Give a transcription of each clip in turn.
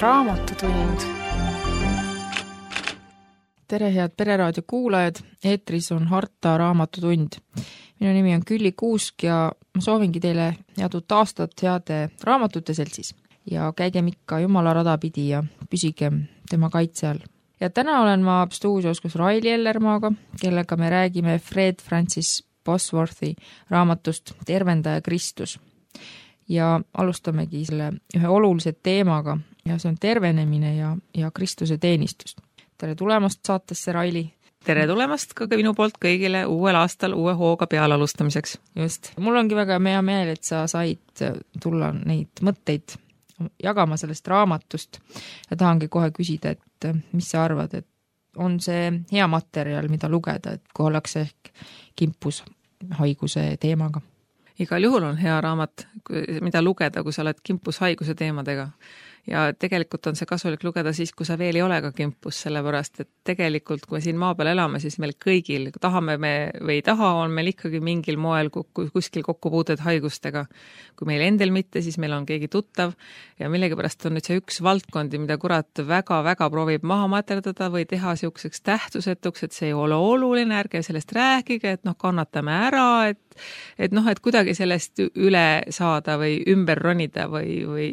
Raamatutund. Tere, head Pereraadio kuulajad, eetris on Harta Raamatutund. Minu nimi on Külli Kuusk ja ma soovingi teile head uut aastat heade raamatute seltsis. Ja käigem ikka Jumala rada pidi ja püsigem tema kaitse all. Ja täna olen ma stuudios koos Raili Ellermaaga, kellega me räägime Fred Francis Bosworthi raamatust Tervendaja Kristus. Ja alustamegi selle ühe olulise teemaga ja see on tervenemine ja Kristuse teenistus. Tere tulemast saatesse, Raili! Tere tulemast ka minu poolt kõigile uuel aastal uue hooga peale alustamiseks. Just. Mul ongi väga hea meel, et sa said tulla neid mõtteid jagama sellest raamatust ja tahangi kohe küsida, et mis sa arvad, et on see hea materjal, mida lugeda, et kui ollakse ehk kimpus haiguse teemaga? Igal juhul on hea raamat, mida lugeda, kui sa oled kimpus haiguse teemadega. Ja tegelikult on see kasulik lugeda siis, kui sa veel ei ole ka kimpus, sellepärast, et tegelikult, kui me siin maa peal elame, siis meil kõigil, tahame me või ei taha, on meil ikkagi mingil moel kuskil kokkupuuted haigustega. Kui meil endel mitte, siis meil on keegi tuttav ja millegipärast on nüüd see üks valdkondi, mida kurat väga-väga proovib maha materdada või teha siukseks tähtsusetuks, et see ei ole oluline, ärge sellest rääkige, et kannatame ära, et kuidagi sellest üle saada või ümber ronida või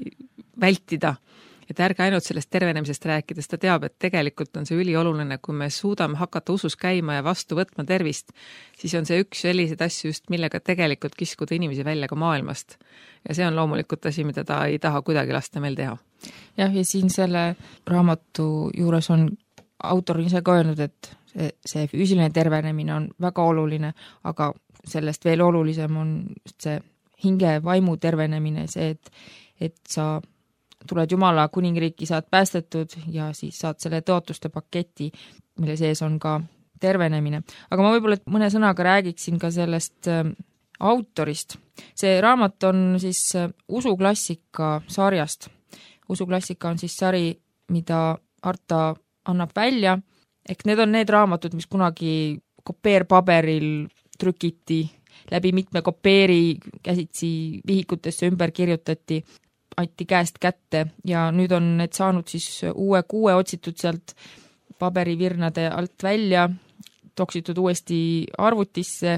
vältida. Et ärge ainult sellest tervenemisest rääkides, ta teab, et tegelikult on see ülioluline, kui me suudame hakata usus käima ja vastu võtma tervist, siis on see üks sellised asju just, millega tegelikult kiskuda inimesi välja ka maailmast. Ja see on loomulikult asi, mida ta ei taha kuidagi lasta meil teha. Jah, ja siin selle raamatu juures on autor ise ka öelnud, et see füüsiline tervenemine on väga oluline, aga sellest veel olulisem on see hinge vaimu tervenemine, see, et sa tuled Jumala kuningriiki, saad päästetud ja siis saad selle tõotuste paketi, mille sees on ka tervenemine. Aga ma võib-olla mõne sõnaga räägiksin ka sellest autorist. See raamat on siis usuklassika sarjast. Usuklassika on siis sari, mida Harta annab välja. Ehk need on need raamatud, mis kunagi kopeerpaberil trükiti, läbi mitme kopeeri käsitsi vihikutesse ümber kirjutati, anti käest kätte ja nüüd on need saanud siis uue kuue otsitud sealt paberivirnade alt välja, toksitud uuesti arvutisse,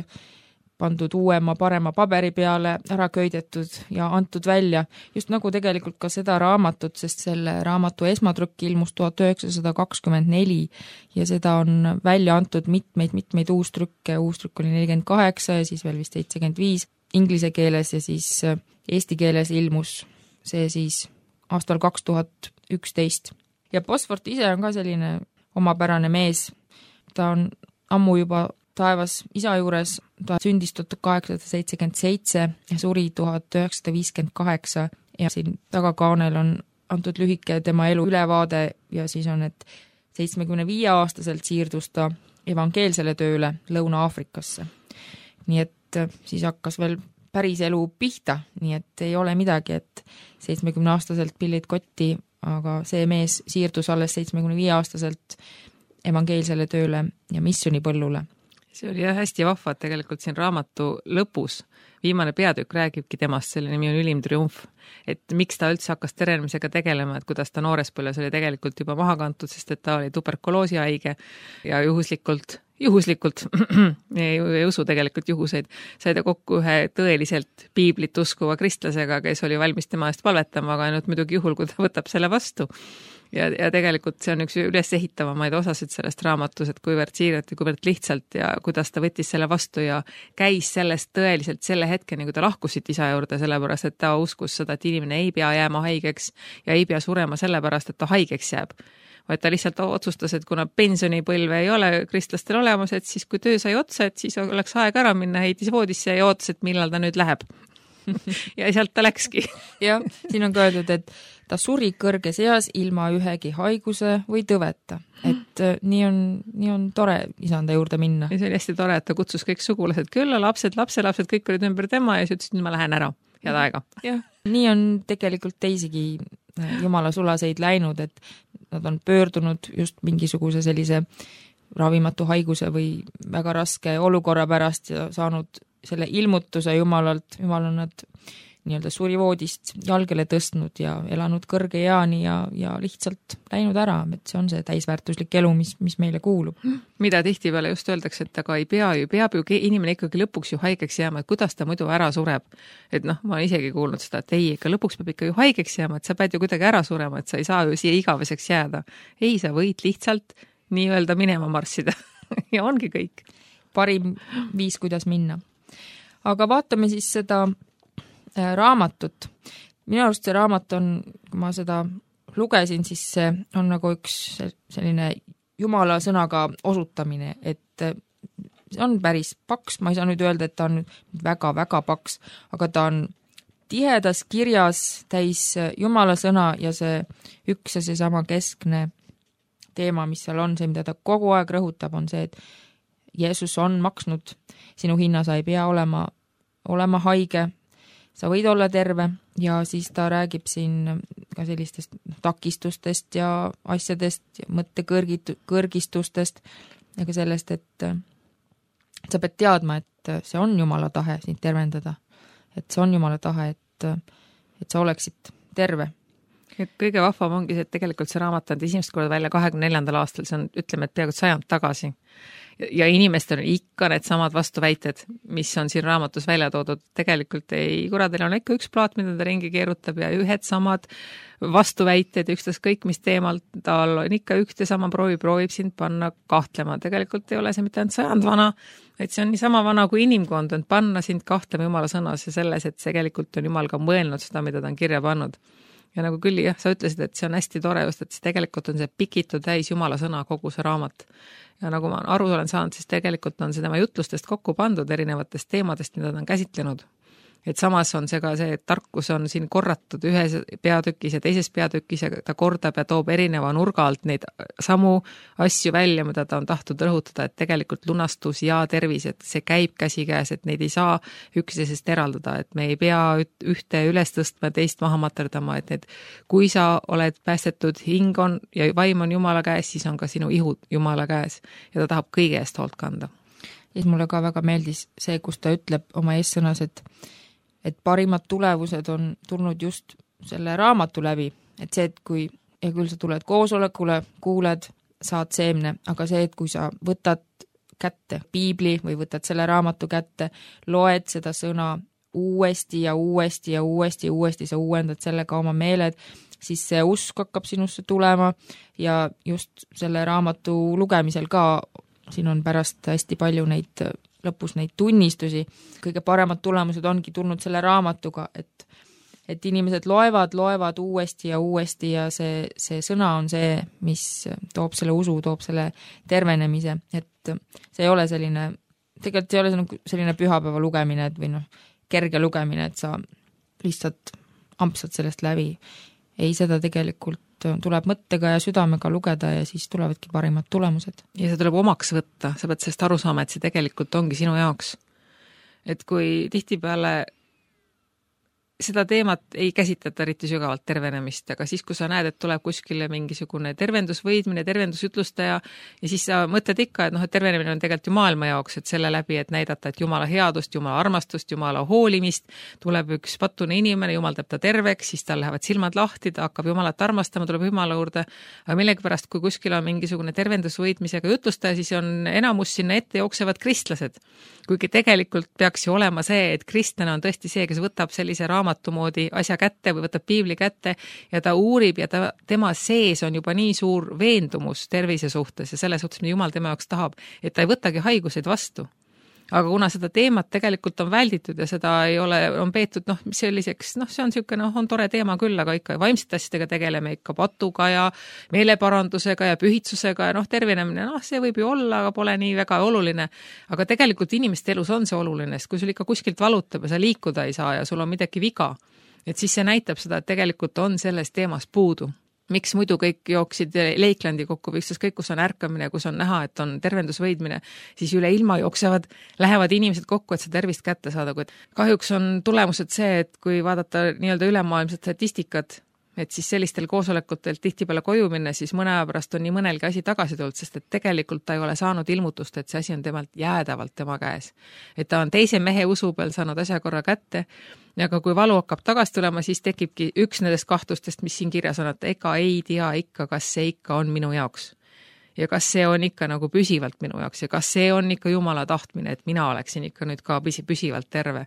pandud uuema parema paberi peale, ära köidetud ja antud välja. Just nagu tegelikult ka seda raamatut, sest selle raamatu esmatrükk ilmus 1924 ja seda on välja antud mitmeid uustrükke. Uustrükk oli 48 ja siis veel vist 75 inglise keeles ja siis eesti keeles ilmus see siis aastal 2011. Ja Bosworth ise on ka selline omapärane mees. Ta on ammu juba taevas isa juures, ta sündis 1877 ja suri 1958 ja siin tagakaanel on antud lühike tema elu ülevaade ja siis on, et 75-aastaselt siirdus ta evangeelsele tööle Lõuna-Aafrikasse. Nii et siis hakkas veel päris elu pihta, nii et ei ole midagi, et 70-aastaselt pillid kotti, aga see mees siirdus alles 75-aastaselt evangeelsele tööle ja missionipõllule. See oli hästi vahva, et tegelikult siin raamatu lõpus viimane peatükk räägibki temast, selle nimi on Ülim triumf. Et miks ta üldse hakkas terenemisega tegelema, et kuidas ta noorespõlves oli tegelikult juba maha kantud, sest et ta oli tuberkuloosi haige ja juhuslikult ei usu tegelikult juhuseid, sai ta kokku ühe tõeliselt piiblit uskuva kristlasega, kes oli valmis tema eest palvetama, aga ainult muidugi juhul, kui ta võtab selle vastu. Ja tegelikult see on üks üles ehitavamaid osasid sellest raamatus, et kuivõrd siiralt ja kuivõrd lihtsalt ja kuidas ta võttis selle vastu ja käis sellest tõeliselt selle hetkeni, kui ta lahkusid isa juurde, sellepärast, et ta uskus seda, et inimene ei pea jääma haigeks ja ei pea surema sellepärast, et ta haigeks jääb. Vaid ta lihtsalt otsustas, et kuna pensionipõlve ei ole kristlastel olemas, et siis kui töö sai otsa, et siis oleks aeg ära minna, heitis voodisse ja ootas, et millal ta nüüd läheb. Ja sealt ta läkski. Jah, siin on ka öeldud, et ta suri kõrges eas ilma ühegi haiguse või tõveta. Et nii on tore isanda juurde minna. Ja see oli hästi tore, et ta kutsus kõik sugulased külla, lapsed, kõik olid ümber tema ja siis ütles, et ma lähen ära. Head aega. Jah, nii on tegelikult teisigi Jumala sulaseid läinud, et nad on pöördunud just mingisuguse sellise ravimatu haiguse või väga raske olukorra pärast ja saanud selle ilmutuse Jumalalt. Jumal on nad nii-öelda surivoodist jalgele tõstnud ja elanud kõrge eani ja lihtsalt läinud ära, et see on see täisväärtuslik elu, mis meile kuulub. Mida tihtipeale just öeldakse, et aga peab ju inimene ikkagi lõpuks ju haigeks jääma, et kuidas ta muidu ära sureb. Et noh, ma olen isegi kuulnud seda, et ei, ikka lõpuks peab ikka ju haigeks jääma, et sa pead ju kuidagi ära surema, et sa ei saa ju siia igaveseks jääda. Ei, sa võid lihtsalt nii-öelda minema marssida ja ongi kõik. Parim viis, kuidas minna. Aga vaatame siis seda raamatut. Minu arust see raamat on, kui ma seda lugesin, siis see on nagu üks selline Jumala sõnaga osutamine, et see on päris paks, ma ei saa nüüd öelda, et ta on väga-väga paks, aga ta on tihedas kirjas täis Jumala sõna ja see üks ja see sama keskne teema, mis seal on, see, mida ta kogu aeg rõhutab, on see, et Jeesus on maksnud sinu hinna, sa ei pea olema haige, sa võid olla terve ja siis ta räägib siin ka sellistest takistustest ja asjadest ja mõttekõrgistustest ja ka sellest, et sa pead teadma, et see on Jumala tahe sind tervendada. Et see on Jumala tahe, et sa oleksid terve. Kõige vahvam ongi see, et tegelikult see raamat on esimest korda välja 24. aastal, see on, ütleme, et peaaegu 100 tagasi. Ja inimestel on ikka need samad vastuväited, mis on siin raamatus välja toodud. Tegelikult ei, kuradel on ikka üks plaat, mida ta ringi keerutab ja ühed samad vastuväited, ükstas kõik, mis teemal tal on ikka üks ja sama proovib sind panna kahtlema. Tegelikult ei ole see mitte ainult 100 vana, et see on nii sama vana kui inimkond, on panna sind kahtlema Jumala sõnas ja selles, et tegelikult on Jumal ka mõelnud seda, mida ta on kirja pannud. Ja nagu küll, jah, sa ütlesid, et see on hästi tore just, et see tegelikult on see pikitud täis Jumala sõna kogu see raamat. Ja nagu ma aru olen saanud, siis tegelikult on see tema jutlustest kokku pandud erinevatest teemadest, mida ta on käsitlenud. Et samas on see ka see, et tarkus on siin korratud ühes peatükis ja teises peatükis ja ta kordab ja toob erineva nurga alt neid samu asju välja, mida ta on tahtnud rõhutada, et tegelikult lunastus ja tervis, et see käib käsikäes, et neid ei saa üksteisest eraldada, et me ei pea ühte üles tõstma, teist maha materdama, et need, kui sa oled päästetud, hing on ja vaim on Jumala käes, siis on ka sinu ihud Jumala käes ja ta tahab kõige eest hoolt kanda. Ja mulle ka väga meeldis see, kus ta ütleb oma eessõnas, et parimad tulevused on tulnud just selle raamatu läbi, et see, et kui, ja küll sa tuled koosolekule, kuuled, saad seemne, aga see, et kui sa võtad kätte piibli või võtad selle raamatu kätte, loed seda sõna uuesti ja uuesti ja uuesti, sa uuendad sellega oma meeled, siis see usk hakkab sinusse tulema ja just selle raamatu lugemisel ka, siin on pärast hästi palju neid lõpus neid tunnistusi, kõige paremad tulemused ongi tulnud selle raamatuga, et inimesed loevad uuesti ja see sõna on see, mis toob selle usu, toob selle tervenemise, et see ei ole selline, tegelikult ei ole selline pühapäeva lugemine, et või noh, kerge lugemine, et sa lihtsalt ampsad sellest läbi. Ei, seda tegelikult tuleb mõttega ja südamega lugeda ja siis tulevadki parimad tulemused. Ja see tuleb omaks võtta, sa pead sellest aru saama, et see tegelikult ongi sinu jaoks. Et kui tihtipeale seda teemat ei käsitleta eriti sügavalt tervenemist, aga siis, kui sa näed, et tuleb kuskile mingisugune tervendusvõidmine, tervendusjutlustaja ja siis sa mõtled ikka, et noh, et tervenemine on tegelikult ju maailma jaoks, et selle läbi, et näidata, et Jumala headust, Jumala armastust, Jumala hoolimist, tuleb üks patune inimene, Jumal teeb ta terveks, siis tal lähevad silmad lahti, ta hakkab Jumalat armastama, tuleb Jumala juurde, aga millegipärast, kui kuskil on mingisugune tervendusvõidmisega jutlustaja, siis on enamus sinna ette jooksevad kristlased. Kuigi tegelikult peaks ju olema see, et kristlane on tõesti see, kes võtab sellise raamatu moodi asja kätte või võtab piibli kätte ja ta uurib ja tema sees on juba nii suur veendumus tervise suhtes ja selle suhtes, mida Jumal tema jaoks tahab, et ta ei võtagi haiguseid vastu. Aga kuna seda teemat tegelikult on välditud ja seda ei ole, on peetud, selliseks, see on niisugune, on tore teema küll, aga ikka vaimsete asjadega tegeleme ikka patuga ja meeleparandusega ja pühitsusega ja tervenemine, see võib ju olla, aga pole nii väga oluline. Aga tegelikult inimeste elus on see oluline, sest kui sul ikka kuskilt valutab ja sa liikuda ei saa ja sul on midagi viga, et siis see näitab seda, et tegelikult on selles teemas puudu. Miks muidu kõik jooksid Leiklandi kokku või kõik, kus on ärkamine, kus on näha, et on tervendusvõidmine, siis üle ilma jooksevad, lähevad inimesed kokku, et see tervist kätte saada, kuid kahjuks on tulemused see, et kui vaadata nii-öelda ülemaailmset statistikat, et siis sellistel koosolekutel tihtipeale koju minna, siis mõne aja pärast on nii mõnelgi asi tagasi tulnud, sest et tegelikult ta ei ole saanud ilmutust, et see asi on temalt jäädavalt tema käes. Et ta on teise mehe usu peal saanud asja korra kätte, aga kui valu hakkab tagasi tulema, siis tekibki üks nendest kahtlustest, mis siin kirjas on, et ega ei tea ikka, kas see ikka on minu jaoks. Ja kas see on ikka nagu püsivalt minu jaoks ja kas see on ikka Jumala tahtmine, et mina oleksin ikka nüüd ka püsivalt terve.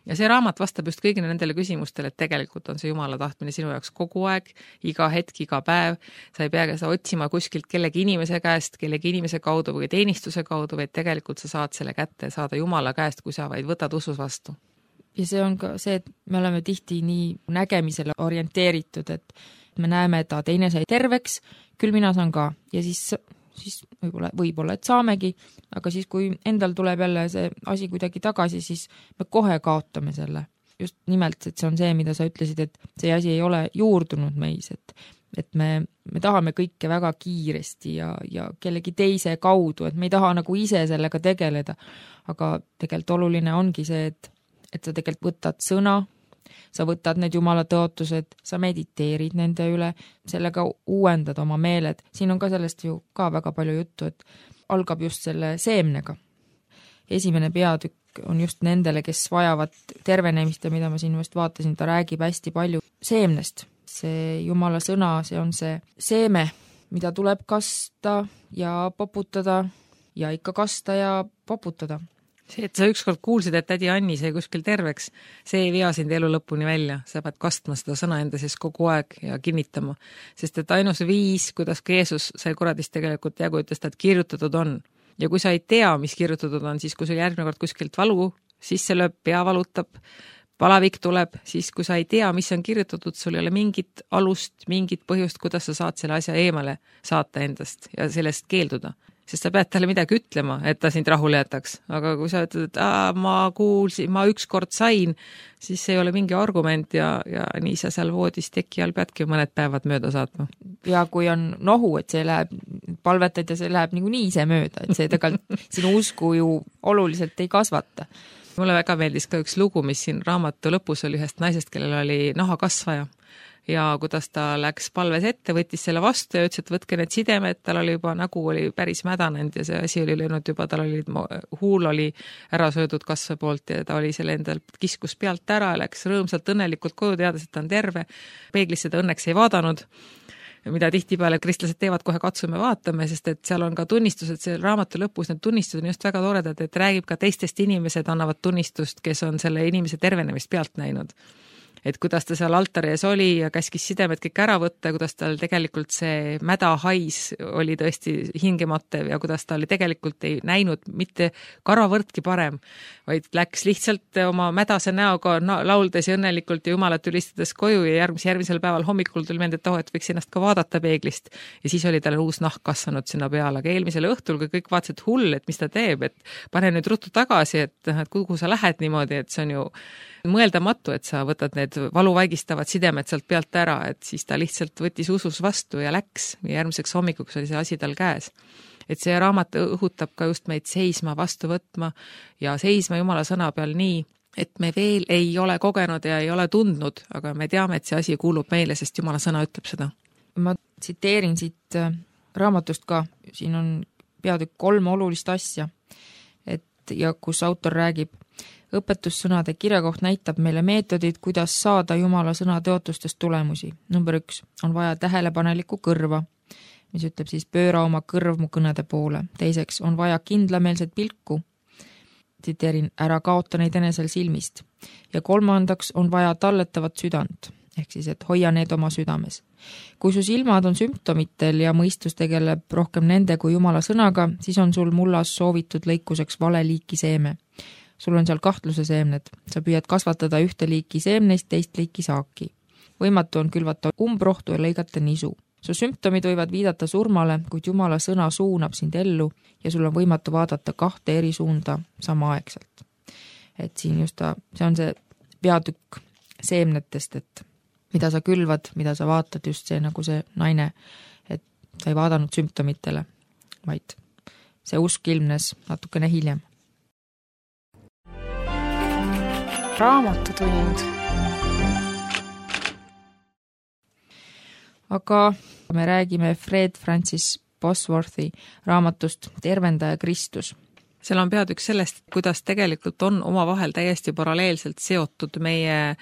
Ja see raamat vastab just kõigile nendele küsimustele, et tegelikult on see Jumala tahtmine sinu jaoks kogu aeg, iga hetk, iga päev. Sa ei peagi seda otsima kuskilt kellegi inimese käest, kellegi inimese kaudu või teenistuse kaudu, vaid tegelikult sa saad selle kätte saada Jumala käest, kui sa vaid võtad usus vastu. Ja see on ka see, et me oleme tihti nii nägemisele orienteeritud, et me näeme, et teine sai terveks, küll mina saan ka ja siis võib-olla, et saamegi, aga siis, kui endal tuleb jälle see asi kuidagi tagasi, siis me kohe kaotame selle. Just nimelt, et see on see, mida sa ütlesid, et see asi ei ole juurdunud meis, et me tahame kõike väga kiiresti ja kellegi teise kaudu, et me ei taha nagu ise sellega tegeleda, aga tegelikult oluline ongi see, et sa tegelikult võtad sõna, sa võtad need Jumala tõotused, sa mediteerid nende üle, sellega uuendad oma meeled. Siin on ka sellest ju ka väga palju juttu, et algab just selle seemnega. Esimene peatükk on just nendele, kes vajavad tervenemist ja mida ma siin just vaatasin, ta räägib hästi palju seemnest. See Jumala sõna, see on see seeme, mida tuleb kasta ja poputada ja ikka kasta ja poputada. See, et sa ükskord kuulsid, et tädi Anni sai kuskil terveks, see ei vea sind elu lõpuni välja. Sa pead kastma seda sõna enda sees kogu aeg ja kinnitama. Sest et ainus viis, kuidas ka Jeesus sai kuradist tegelikult jagu, ütles ta, et kirjutatud on. Ja kui sa ei tea, mis kirjutatud on, siis kui sul järgmine kord kuskilt valu sisse lööb, pea valutab, palavik tuleb, siis kui sa ei tea, mis on kirjutatud, sul ei ole mingit alust, mingit põhjust, kuidas sa saad selle asja eemale saata endast ja sellest keelduda. Sest sa pead talle midagi ütlema, et ta sind rahule jätaks. Aga kui sa ütled, et ma kuulsin, ma ükskord sain, siis see ei ole mingi argument ja nii sa seal voodis teki all peadki mõned päevad mööda saatma. Ja kui on nohu, et see läheb, palvetad ja see läheb nii ise mööda, et see tegelikult sinu usku ju oluliselt ei kasvata. Mulle väga meeldis ka üks lugu, mis siin raamatu lõpus oli ühest naisest, kellel oli nahakasvaja. Ja kuidas ta läks palves ette, võttis selle vastu ja ütles, et võtke need sidemed, tal oli juba nägu oli päris mädanenud ja see asi oli löönud juba, tal oli huul oli ära söödud kasve poolt ja ta oli selle endal kiskus pealt ära, läks rõõmsalt õnnelikult koju, teades, et ta on terve. Peeglisse ta õnneks ei vaadanud, mida tihtipeale kristlased teevad, kohe katsume vaatame, sest et seal on ka tunnistused, see raamatu lõpus need tunnistused on just väga toredad, et räägib ka teistest inimesed, annavad tunnistust, kes on selle inimese tervenemist pealt näinud. Et kuidas ta seal altari ees oli ja käskis sidemed kõik ära võtta, kuidas tal tegelikult see mäda hais oli tõesti hingematev ja kuidas ta oli tegelikult ei näinud mitte karavõrdki parem, vaid läks lihtsalt oma mädase näoga lauldes ja õnnelikult ja Jumalat ülistades koju ja järgmisel päeval hommikul tuli meelde, et võiks ennast ka vaadata peeglist ja siis oli tal uus nahk kasvanud sinna peale, aga eelmisel õhtul, kui kõik vaatasid hull, et mis ta teeb, et pane nüüd ruttu tagasi, et kuhu sa lähed niimoodi, et see on ju mõeldamatu, et sa võtad need valuvaigistavad sidemed sealt pealt ära, et siis ta lihtsalt võttis usus vastu ja läks ja järgmiseks hommikuks oli see asi tal käes. Et see raamat õhutab ka just meid seisma, vastu võtma ja seisma Jumala sõna peal nii, et me veel ei ole kogenud ja ei ole tundnud, aga me teame, et see asi kuulub meile, sest Jumala sõna ütleb seda. Ma tsiteerin siit raamatust ka, siin on peatükk 3 olulist asja, et ja kus autor räägib, õpetussõnade kirjakoht näitab meile meetodid, kuidas saada Jumala sõna tõotustest tulemusi. Number 1 on vaja tähelepanelikku kõrva, mis ütleb siis pööra oma kõrv mu kõnede poole. Teiseks on vaja kindlameelset pilku, tsiteerin, ära kaota neid enesel silmist. Ja 3. on vaja talletavat südant, ehk siis, et hoia need oma südames. Kui su silmad on sümptomitel ja mõistus tegeleb rohkem nende kui Jumala sõnaga, siis on sul mullas soovitud lõikuseks vale liiki seeme. Sul on seal kahtluse seemned. Sa püüad kasvatada ühte liiki seemneist, teist liiki saaki. Võimatu on külvata umbrohtu ja lõigata nisu. Su sümptomid võivad viidata surmale, kuid Jumala sõna suunab sind ellu ja sul on võimatu vaadata 2 eri suunda samaaegselt. Et siin just see on see peatükk seemnetest, et mida sa külvad, mida sa vaatad, just see nagu see naine, et ta ei vaadanud sümptomitele, vaid see usk ilmnes natukene hiljem. Raamatutund. aga me räägime Fred Francis Bosworthi raamatust Tervendaja Kristus. Seal on peatükk sellest, kuidas tegelikult on omavahel täiesti paralleelselt seotud meie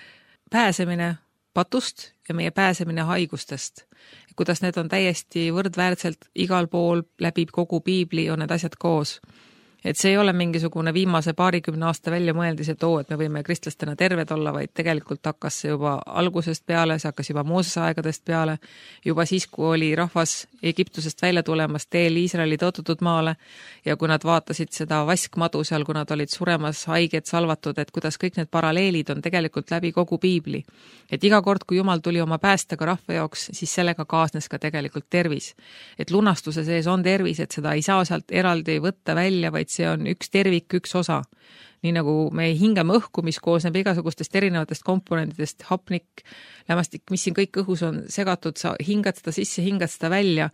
pääsemine patust ja meie pääsemine haigustest. Kuidas need on täiesti võrdväärselt igal pool läbi kogu piibli on need asjad koos. Et see ei ole mingisugune viimase 20 aasta välja mõeldis, et et me võime kristlastena terved olla, vaid tegelikult hakkas see juba algusest peale, see hakkas juba Moosese aegadest peale, juba siis, kui oli rahvas Egiptusest välja tulemas teel Iisraeli tõotatud maale ja kui nad vaatasid seda vaskmadu seal, kui nad olid suremas, haiged, salvatud, et kuidas kõik need paralleelid on tegelikult läbi kogu piibli. Et iga kord, kui Jumal tuli oma päästega rahva jaoks, siis sellega kaasnes ka tegelikult tervis. Et lunastuse sees on tervis, et seda ei saa sealt eraldi võtta välja, vaid see on üks tervik, üks osa. Nii nagu me hingame õhku, mis koosneb igasugustest erinevatest komponentidest, hapnik, lämmastik, mis siin kõik õhus on segatud, sa hingad seda sisse, hingad seda välja,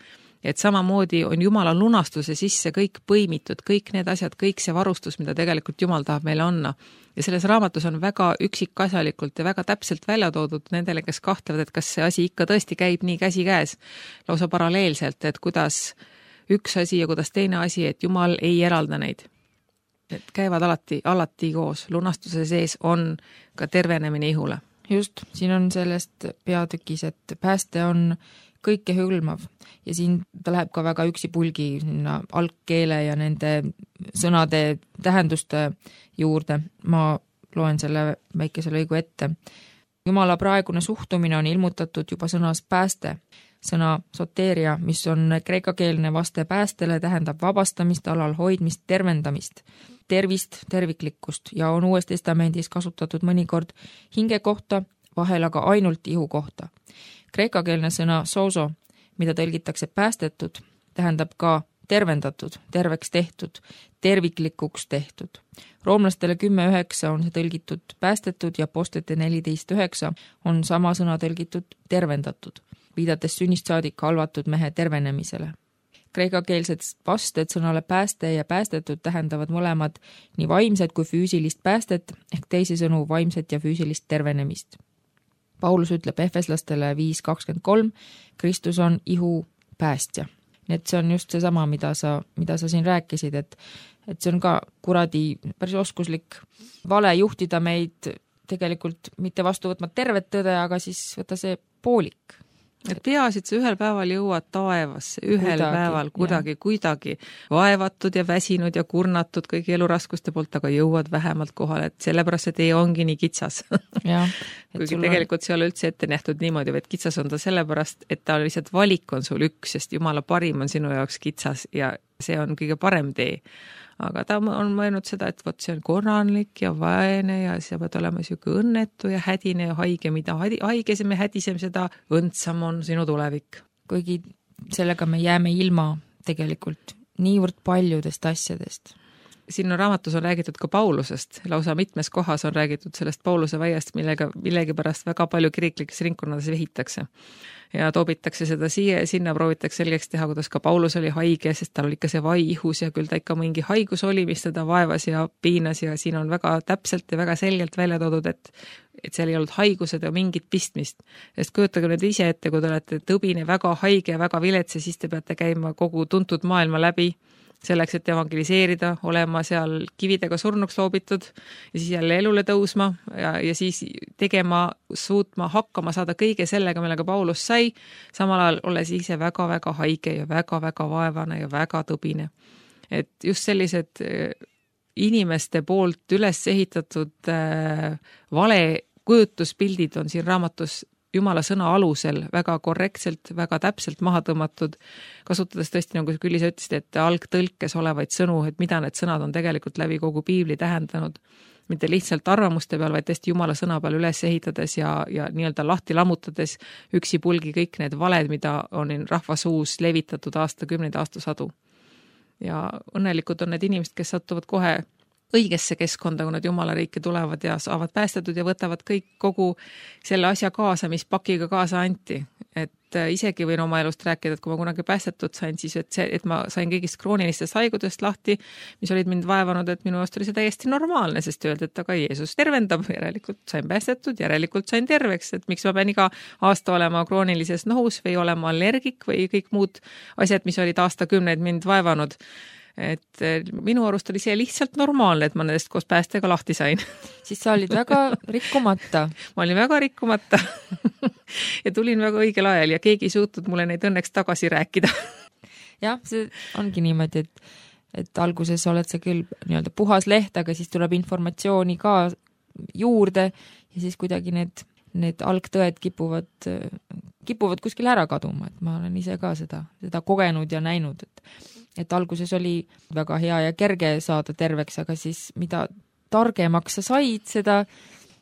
et samamoodi on Jumala lunastuse sisse kõik põimitud, kõik need asjad, kõik see varustus, mida tegelikult Jumal tahab meile anna. Ja selles raamatus on väga üksikasjalikult ja väga täpselt välja toodud nendele, kes kahtlevad, et kas see asi ikka tõesti käib nii käsi käes, lausa paralleelselt, et kuidas üks asi ja kuidas teine asi, et Jumal ei eralda neid. Et käivad alati koos. Lunastuse sees on ka tervenemine ihule. Just, siin on sellest peatükis, et pääste on kõike hõlmav ja siin ta läheb ka väga üksipulgi algkeele ja nende sõnade tähenduste juurde. Ma loen selle väikese lõigu ette. Jumala praegune suhtumine on ilmutatud juba sõnas pääste. Sõna soteeria, mis on kreekakeelne vaste päästele, tähendab vabastamist, alal hoidmist, tervendamist, tervist, terviklikkust ja on Uues Testamendis kasutatud mõnikord hinge kohta, vahel aga ainult ihu kohta. Kreekakeelne sõna sozo, mida tõlgitakse päästetud, tähendab ka tervendatud, terveks tehtud, terviklikuks tehtud. Roomlastele 10.9 on see tõlgitud päästetud ja Apostlite 14.9 on sama sõna tõlgitud tervendatud, viidates sünnist saadik halvatud mehe tervenemisele. Kreekakeelsed vasted sõnale pääste ja päästetud tähendavad mõlemad nii vaimset kui füüsilist päästet ehk teisisõnu vaimset ja füüsilist tervenemist. Paulus ütleb Efeslastele 5.23, Kristus on ihu päästja. Nii et see on just seesama, mida sa siin rääkisid, et see on ka kuradi päris oskuslik vale juhtida meid tegelikult mitte vastu võtma tervet tõde, aga siis võtta see poolik. Et peasid sa ühel päeval jõuad taevasse, päeval kuidagi vaevatud ja väsinud ja kurnatud kõigi eluraskuste poolt, aga jõuad vähemalt kohale, et sellepärast see tee ongi nii kitsas. Kuigi tegelikult see ei ole üldse ette nähtud niimoodi, vaid kitsas on ta sellepärast, et ta lihtsalt valik on sul üks, sest Jumala parim on sinu jaoks kitsas ja see on kõige parem tee. Aga ta on mõelnud seda, et see on korranlik ja vaene ja sa pead olema siuke õnnetu ja hädine ja haige, mida haigesem ja hädisem, seda õndsam on sinu tulevik. Kuigi sellega me jääme ilma tegelikult niivõrd paljudest asjadest. Siin raamatus on räägitud ka Paulusest, lausa mitmes kohas on räägitud sellest Pauluse väiest, millega millegipärast väga palju kiriklikes ringkonnades vehitakse. Ja toobitakse seda siia ja sinna, proovitakse selgeks teha, kuidas ka Paulus oli haige, sest tal oli ikka see vai ihus ja küll ta ikka mingi haigus oli, mis teda vaevas ja piinas ja siin on väga täpselt ja väga selgelt välja toodud, et seal ei olnud haigused ja mingit pistmist. Sest kujutage nüüd ise ette, kui te olete tõbine, väga haige ja väga vilets ja siis te peate käima kogu tuntud maailma läbi selleks, et evangeliseerida, olema seal kividega surnuks loobitud ja siis jälle elule tõusma ja siis tegema, suutma, hakkama saada kõige sellega, millega Paulus sai, samal ajal olles ise väga-väga haige ja väga-väga vaevane ja väga tõbine. Et just sellised inimeste poolt üles ehitatud vale kujutuspildid on siin raamatus Jumala sõna alusel väga korrektselt, väga täpselt maha tõmmatud, kasutades tõesti, nagu küll ise ütlesid, et algtõlkes olevaid sõnu, et mida need sõnad on tegelikult läbi kogu piibli tähendanud. Mitte lihtsalt arvamuste peal, vaid tõesti Jumala sõna peal üles ehitades ja nii-öelda lahti lammutades üksipulgi kõik need valed, mida on rahvasuus levitatud aastakümneid, aastasadu. Ja õnnelikud on need inimesed, kes satuvad kohe õigesse keskkonda, kui nad Jumala riiki tulevad ja saavad päästetud ja võtavad kõik kogu selle asja kaasa, mis pakiga kaasa anti. Et et isegi võin oma elust rääkida, et kui ma kunagi päästetud sain, siis et ma sain kõigist kroonilistest haigudest lahti, mis olid mind vaevanud, et minu arust oli see täiesti normaalne, sest öeldi, et aga Jeesus tervendab, järelikult sain päästetud, järelikult sain terveks, et miks ma pean iga aasta olema kroonilises nohus või olema allergik või kõik muud asjad, mis olid aastakümneid mind vaevanud. Et minu arust oli see lihtsalt normaalne, et ma nendest koos päästega lahti sain. Siis sa olid väga rikkumata. Ma olin väga rikkumata ja tulin väga õigel ajal ja keegi ei suutnud mulle neid õnneks tagasi rääkida. Jah, see ongi niimoodi, et alguses oled sa küll nii-öelda puhas leht, aga siis tuleb informatsiooni ka juurde ja siis kuidagi need algtõed kipuvad kuskil ära kaduma, et ma olen ise ka seda kogenud ja näinud, et alguses oli väga hea ja kerge saada terveks, aga siis mida targemaks sa said, seda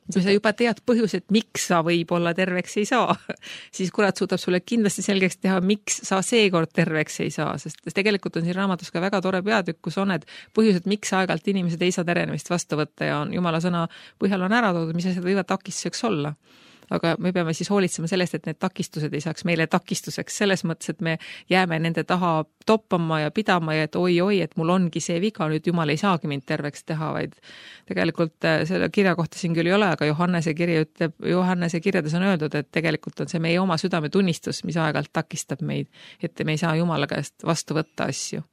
kui sa juba tead põhjused, miks sa võib-olla terveks ei saa, siis kurat suudab sulle kindlasti selgeks teha, miks sa seekord terveks ei saa, sest tegelikult on siin raamatus ka väga tore peatükk, kus on need põhjused, miks aeg-ajalt inimesed ei saa terenemist vastu võtta ja on Jumala sõna põhjal on ära toodud, mis asjad võivad takistuseks olla. Aga me peame siis hoolitsema sellest, et need takistused ei saaks meile takistuseks selles mõttes, et me jääme nende taha toppama ja pidama ja et oi, et mul ongi see viga, nüüd Jumal ei saagi mind terveks teha, vaid tegelikult selle kirja kohta siin küll ei ole, aga Johannese kirjades on öeldud, et tegelikult on see meie oma südametunnistus, mis aeg-ajalt takistab meid, et me ei saa Jumala käest vastu võtta asju.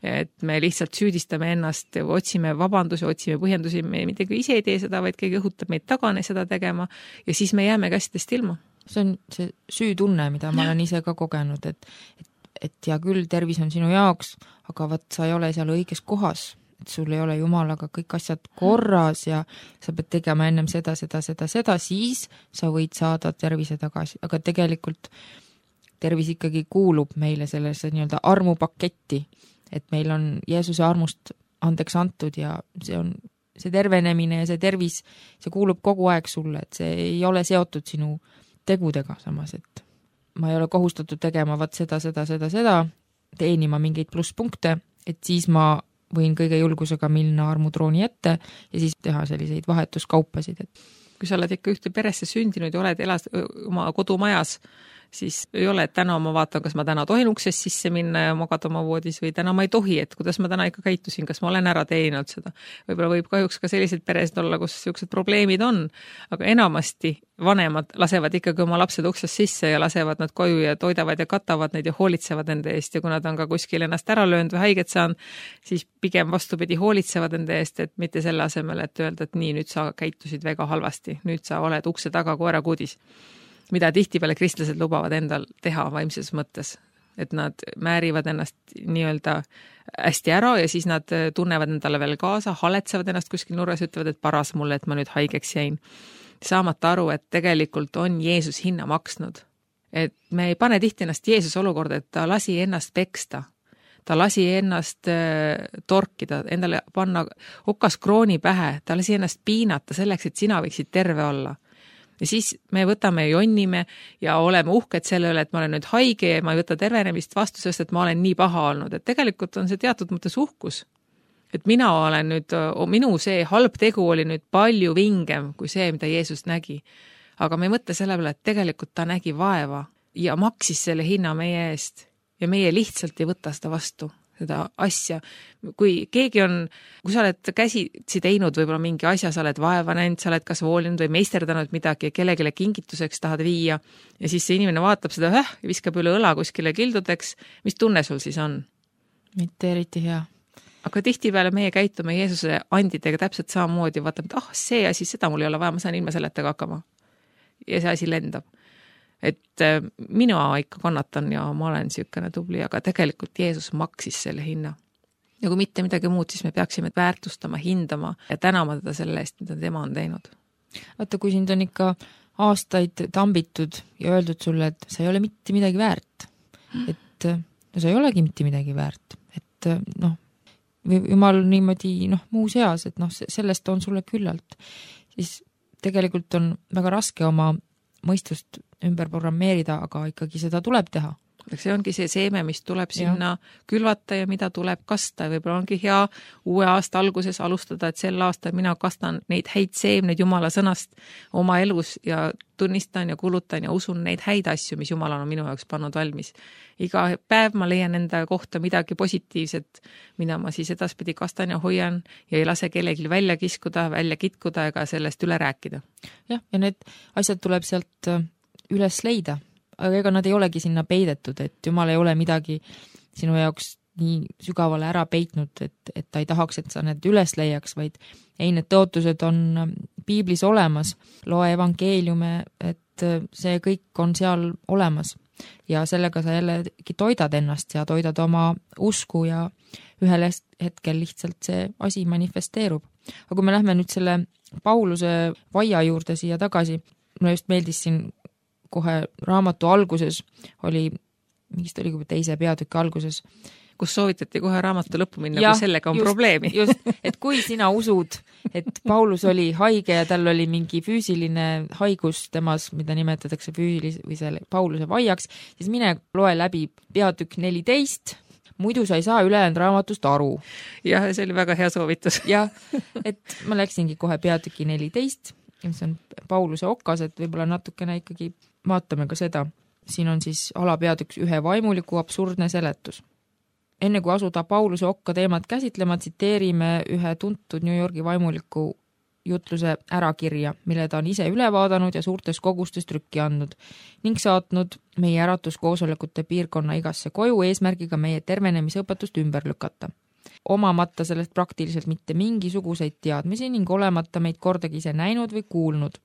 Et me lihtsalt süüdistame ennast, otsime vabandusi, otsime põhjendusi, me midagi ise ei tee seda, vaid keegi õhutab meid tagane seda tegema ja siis me jääme käsitest ilma. See on see süütunne, mida ma olen ise ka kogenud, et ja küll tervis on sinu jaoks, aga vaat sa ei ole seal õiges kohas, et sul ei ole Jumalaga kõik asjad korras ja sa pead tegema ennem seda, siis sa võid saada tervise tagasi, aga tegelikult tervis ikkagi kuulub meile sellesse nii-öelda armupaketti, et meil on Jeesuse armust andeks antud ja see tervenemine ja see tervis, see kuulub kogu aeg sulle, et see ei ole seotud sinu tegudega samas, et ma ei ole kohustatud tegema vaat seda, teenima mingeid plusspunkte, et siis ma võin kõige julgusega minna armutrooni ette ja siis teha selliseid vahetuskaupasid. Kui sa oled ikka ühte peresse sündinud ja elad oma kodumajas, siis ei ole, et täna ma vaatan, kas ma täna tohin uksest sisse minna ja magada oma voodis või täna ma ei tohi, et kuidas ma täna ikka käitusin, kas ma olen ära teeninud seda. Võib-olla võib kahjuks ka sellised peresed olla, kus sellised probleemid on, aga enamasti vanemad lasevad ikkagi oma lapsed uksest sisse ja lasevad nad koju ja toidavad ja katavad neid ja hoolitsevad enda eest ja kui nad on ka kuskil ennast ära löönud või haiget saanud, siis pigem vastupidi hoolitsevad enda eest, et mitte selle asemel, et öelda, et nii, nüüd sa käitusid väga halvasti, nüüd sa oled ukse taga koerakuudis. Mida tihtipeale kristlased lubavad endal teha vaimses mõttes, et nad määrivad ennast nii-öelda hästi ära ja siis nad tunnevad endale veel kaasa, haletsevad ennast kuskil nurgas, ütlevad, et paras mulle, et ma nüüd haigeks jäin. Saamata aru, et tegelikult on Jeesus hinna maksnud. Et me ei pane tihti ennast Jeesuse olukorda, et ta lasi ennast peksta. Ta lasi ennast torkida, endale panna okas krooni pähe, ta lasi ennast piinata selleks, et sina võiksid terve olla. Ja siis me võtame ja jonnime ja oleme uhked selle üle, et ma olen nüüd haige ja ma ei võta tervenemist vastu, sest et ma olen nii paha olnud. Et tegelikult on see teatud mõttes uhkus. Et mina olen nüüd, minu see halb tegu oli nüüd palju vingem kui see, mida Jeesus nägi. Aga me ei mõtle selle peale, et tegelikult ta nägi vaeva ja maksis selle hinna meie eest ja meie lihtsalt ei võta seda vastu. Seda asja. Kui keegi on, kui sa oled käsitsi teinud võib-olla mingi asja, sa oled vaeva näinud, sa oled kas voolinud või meisterdanud midagi ja kellegile kingituseks tahad viia ja siis see inimene vaatab seda ja viskab üle õla kuskile kildudeks, mis tunne sul siis on? Mitte eriti hea. Aga tihtipeale meie käitume Jeesuse andidega täpselt samamoodi, vaatame, et see asi, seda mul ei ole vaja, ma saan ilma selletega hakkama. Ja see asi lendab. Et mina ikka kannatan ja ma olen sükene tubli, aga tegelikult Jeesus maksis selle hinna. Ja kui mitte midagi muud, siis me peaksime väärtustama, hindama ja tänama teda selle eest, mida tema on teinud. Vaata, kui sind on ikka aastaid tambitud ja öeldud sulle, et sa ei ole mitte midagi väärt, et no sa ei olegi mitte midagi väärt, et Jumal niimoodi muus heas, et sellest on sulle küllalt, siis tegelikult on väga raske oma mõistust ümber programmeerida, aga ikkagi seda tuleb teha. see ongi see seeme, mis tuleb sinna külvata ja mida tuleb kasta. Võib-olla ongi hea uue aasta alguses alustada, et sel aastal mina kastan neid häid seemneid Jumala sõnast oma elus ja tunnistan ja kulutan ja usun neid häid asju, mis Jumal on minu jaoks pannud valmis. Iga päev ma leian enda kohta midagi positiivset, mida ma siis edaspidi kastan ja hoian ja ei lase kellelgi välja kiskuda, välja kitkuda ega sellest üle rääkida. Jah, ja need asjad tuleb sealt üles leida. Aga ega nad ei olegi sinna peidetud, et Jumal ei ole midagi sinu jaoks nii sügavale ära peitnud, et ta ei tahaks, et sa need üles leiaks, vaid ei, need tõotused on piiblis olemas, loe evangeeliume, et see kõik on seal olemas ja sellega sa jällegi toidad ennast ja toidad oma usku ja ühel hetkel lihtsalt see asi manifesteerub. Aga kui me lähme nüüd selle Pauluse vaia juurde siia tagasi, mulle just meeldis siin kohe raamatu alguses oli, mingist oli juba teise peatüki alguses, kus soovitati kohe raamatu lõppu minna, kui sellega on probleemi. Just, et kui sina usud, et Paulus oli haige ja tal oli mingi füüsiline haigus temas, mida nimetatakse või selle Pauluse vaiaks, siis mine loe läbi peatükk 14, muidu sa ei saa ülejäänud raamatust aru. Jah, see oli väga hea soovitus. Jah, et ma läksingi kohe peatüki 14, mis on Pauluse okas, et võib-olla natukene ikkagi vaatame ka seda. Siin on siis alapeatüks ühe vaimuliku absurdne seletus. Enne kui asuda Pauluse okka teemat käsitlema, tsiteerime ühe tuntud New Yorgi vaimuliku jutluse ärakirja, mille ta on ise üle vaadanud ja suurtes kogustes trükki andnud ning saatnud meie äratuskoosolekute piirkonna igasse koju eesmärgiga meie tervenemisõpetust ümber lükata. Omamata sellest praktiliselt mitte mingisuguseid teadmisi ning olemata meid kordagi ise näinud või kuulnud.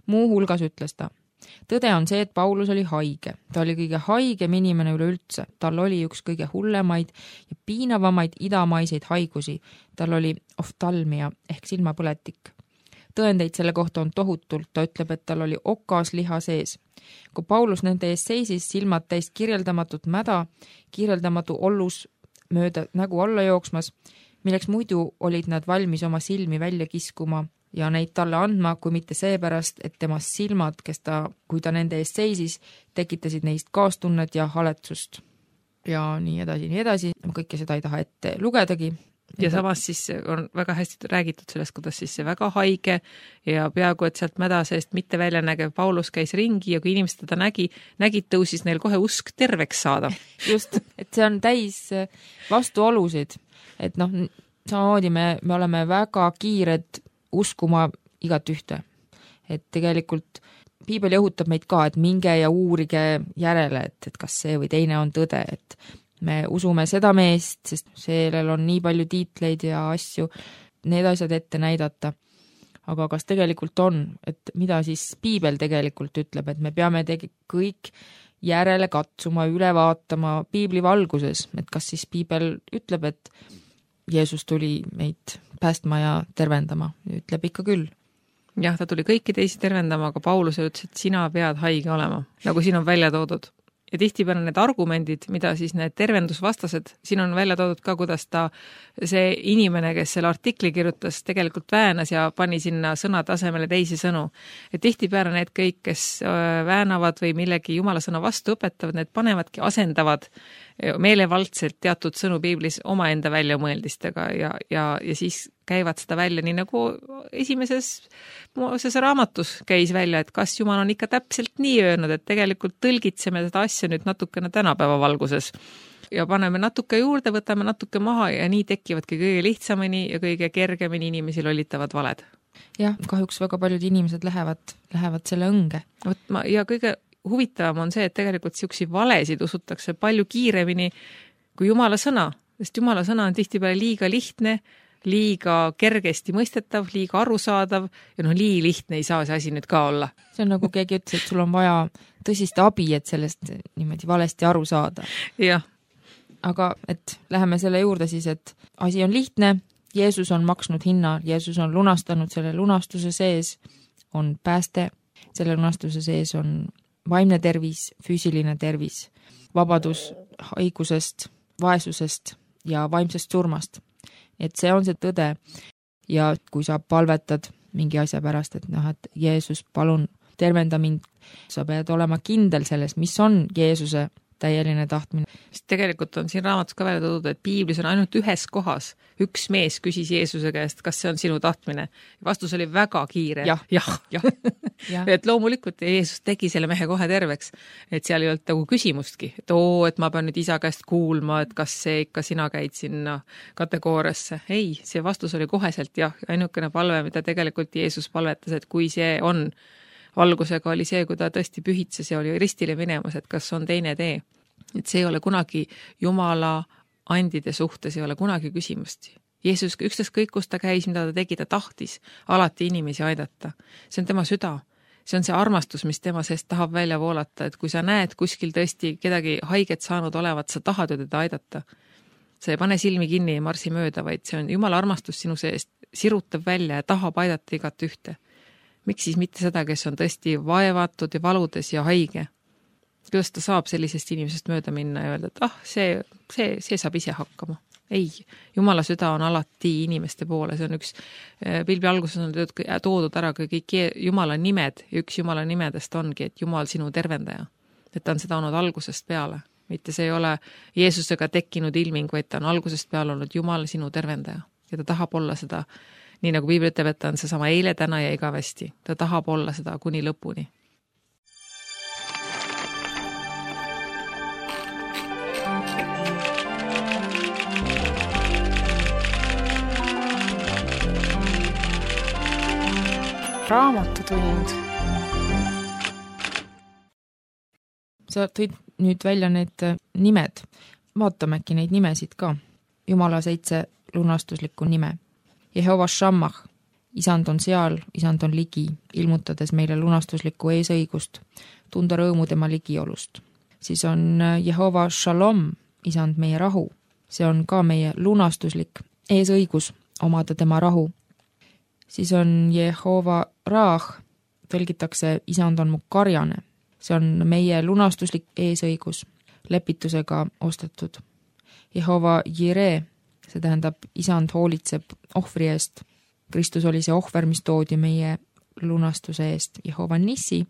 Muu hulgas ütles ta: tõde on see, et Paulus oli haige. Ta oli kõige haigem inimene üleüldse. Tal oli üks kõige hullemaid ja piinavamaid idamaiseid haigusi. Tal oli oftalmia ehk silmapõletik. Tõendeid selle kohta on tohutult. Ta ütleb, et tal oli okas liha sees. Kui Paulus nende ees seisis, silmad täis kirjeldamatut mäda, kirjeldamatu ollus mööda nägu alla jooksmas, milleks muidu olid nad valmis oma silmi välja kiskuma ja neid talle andma, kui mitte seepärast, et temast silmad, kui ta nende eest seisis, tekitasid neist kaastunnet ja haletsust. Ja nii edasi. Kõike seda ei taha ette lugedagi. Ja samas siis on väga hästi räägitud sellest, kuidas siis see väga haige ja peaaegu, et sealt mäda seest mitte välja nägev Paulus käis ringi ja kui inimesed teda nägid, tõusis neil kohe usk terveks saada. Just, et see on täis vastuolusid. Et samamoodi me oleme väga kiired uskuma igat ühte. Et tegelikult piibel jõhutab meid ka, et minge ja uurige järele, et kas see või teine on tõde, et me usume seda meest, sest sellel on nii palju tiitleid ja asju, need asjad ette näidata. Aga kas tegelikult on, et mida siis piibel tegelikult ütleb, et me peame kõik järele katsuma, üle vaatama piibli valguses, et kas siis piibel ütleb, et Jeesus tuli meid päästma ja tervendama, ütleb ikka küll. Jah, ta tuli kõiki teisi tervendama, aga Pauluse ütles, et sina pead haige olema, nagu siin on välja toodud. Ja tihtipeale need argumendid, mida siis need tervendusvastased, siin on välja toodud ka, kuidas see inimene, kes selle artikli kirjutas, tegelikult väänas ja pani sinna sõnade asemele teisi sõnu. Et tihtipeale need kõik, kes väänavad või millegi Jumala sõna vastu õpetavad, need panevadki asendavad meelevaldselt teatud sõnu piiblis omaenda väljamõeldistega ja siis käivad seda välja, nii nagu esimeses Moosese raamatus käis välja, et kas Jumal on ikka täpselt nii öelnud, et tegelikult tõlgitseme seda asja nüüd natukene tänapäeva valguses ja paneme natuke juurde, võtame natuke maha ja nii tekivadki kõige lihtsamini ja kõige kergemini inimesi lollitavad valed. Jah, kahjuks väga paljud inimesed lähevad selle õnge. Ja kõige huvitavam on see, et tegelikult siuksi valesid usutakse palju kiiremini kui Jumala sõna, sest Jumala sõna on tihtipeale liiga lihtne, liiga kergesti mõistetav, liiga arusaadav ja nii lihtne ei saa see asi nüüd ka olla. See on nagu keegi ütles, et sul on vaja tõsist abi, et sellest niimoodi valesti aru saada. Jah. Aga et läheme selle juurde siis, et asi on lihtne, Jeesus on maksnud hinna, Jeesus on lunastanud selle lunastuse sees, on pääste, selle lunastuse sees on vaimne tervis, füüsiline tervis, vabadus haigusest, vaesusest ja vaimsest surmast. Et see on see tõde ja kui sa palvetad mingi asja pärast, et et Jeesus, palun tervenda mind, sa pead olema kindel selles, mis on Jeesuse täieline tahtmine. Sest tegelikult on siin raamatus ka välja toodud, et piiblis on ainult ühes kohas. Üks mees küsis Jeesuse käest, kas see on sinu tahtmine. Vastus oli väga kiire. Jah. Et loomulikult Jeesus tegi selle mehe kohe terveks. Et seal ei olnud nagu küsimustki. Et ma pean nüüd isa käest kuulma, et kas see ikka sina käid sinna kategooriasse. Ei, see vastus oli koheselt jah. Ainukene palve, mida tegelikult Jeesus palvetas, et kui see on valgusega oli see, kui ta tõesti pühitses ja oli ristile minemas, et kas on teine tee. Et see ei ole kunagi Jumala andide suhtes, ei ole kunagi küsimust. Jeesus ükskõik kus ta käis, mida ta tegi, ta tahtis alati inimesi aidata. See on tema süda. See on see armastus, mis tema seest tahab välja voolata, et kui sa näed kuskil tõesti kedagi haiget saanud olevat, sa tahad ju teda aidata. Sa ei pane silmi kinni ja marsi mööda, vaid see on Jumala armastus sinu seest, sirutab välja ja tahab aidata igat ühte. Miks siis mitte seda, kes on tõesti vaevatud ja valudes ja haige? Kuidas ta saab sellisest inimesest mööda minna ja öelda, et see saab ise hakkama? Ei, Jumala süda on alati inimeste poole. See on üks, pilbi alguses on toodud ära kõik Jumala nimed ja üks Jumala nimedest ongi, et Jumal sinu tervendaja. Et ta on seda olnud algusest peale. Mitte see ei ole Jeesusega tekkinud ilming, vaid ta on algusest peale olnud Jumal sinu tervendaja. Ja ta tahab olla seda nii nagu piibel ütleb, et ta on seesama eile, täna ja igavesti. Ta tahab olla seda kuni lõpuni. Raamatutund. Sa tõid nüüd välja need nimed. Vaatame äkki neid nimesid ka. Jumala 7 lunastuslikku nime. Jehova Shammah, isand on seal, isand on ligi, ilmutades meile lunastuslikku eesõigust, tunda rõõmu tema ligiolust. Siis on Jehova Shalom, isand meie rahu. See on ka meie lunastuslik eesõigus omada tema rahu. Siis on Jehova Raah, tõlgitakse isand on mu karjane. See on meie lunastuslik eesõigus, lepitusega ostetud. Jehova Jireh, see tähendab, isand hoolitseb ohvri eest. Kristus oli see ohver, mis toodi meie lunastuse eest. Jehova Nissi,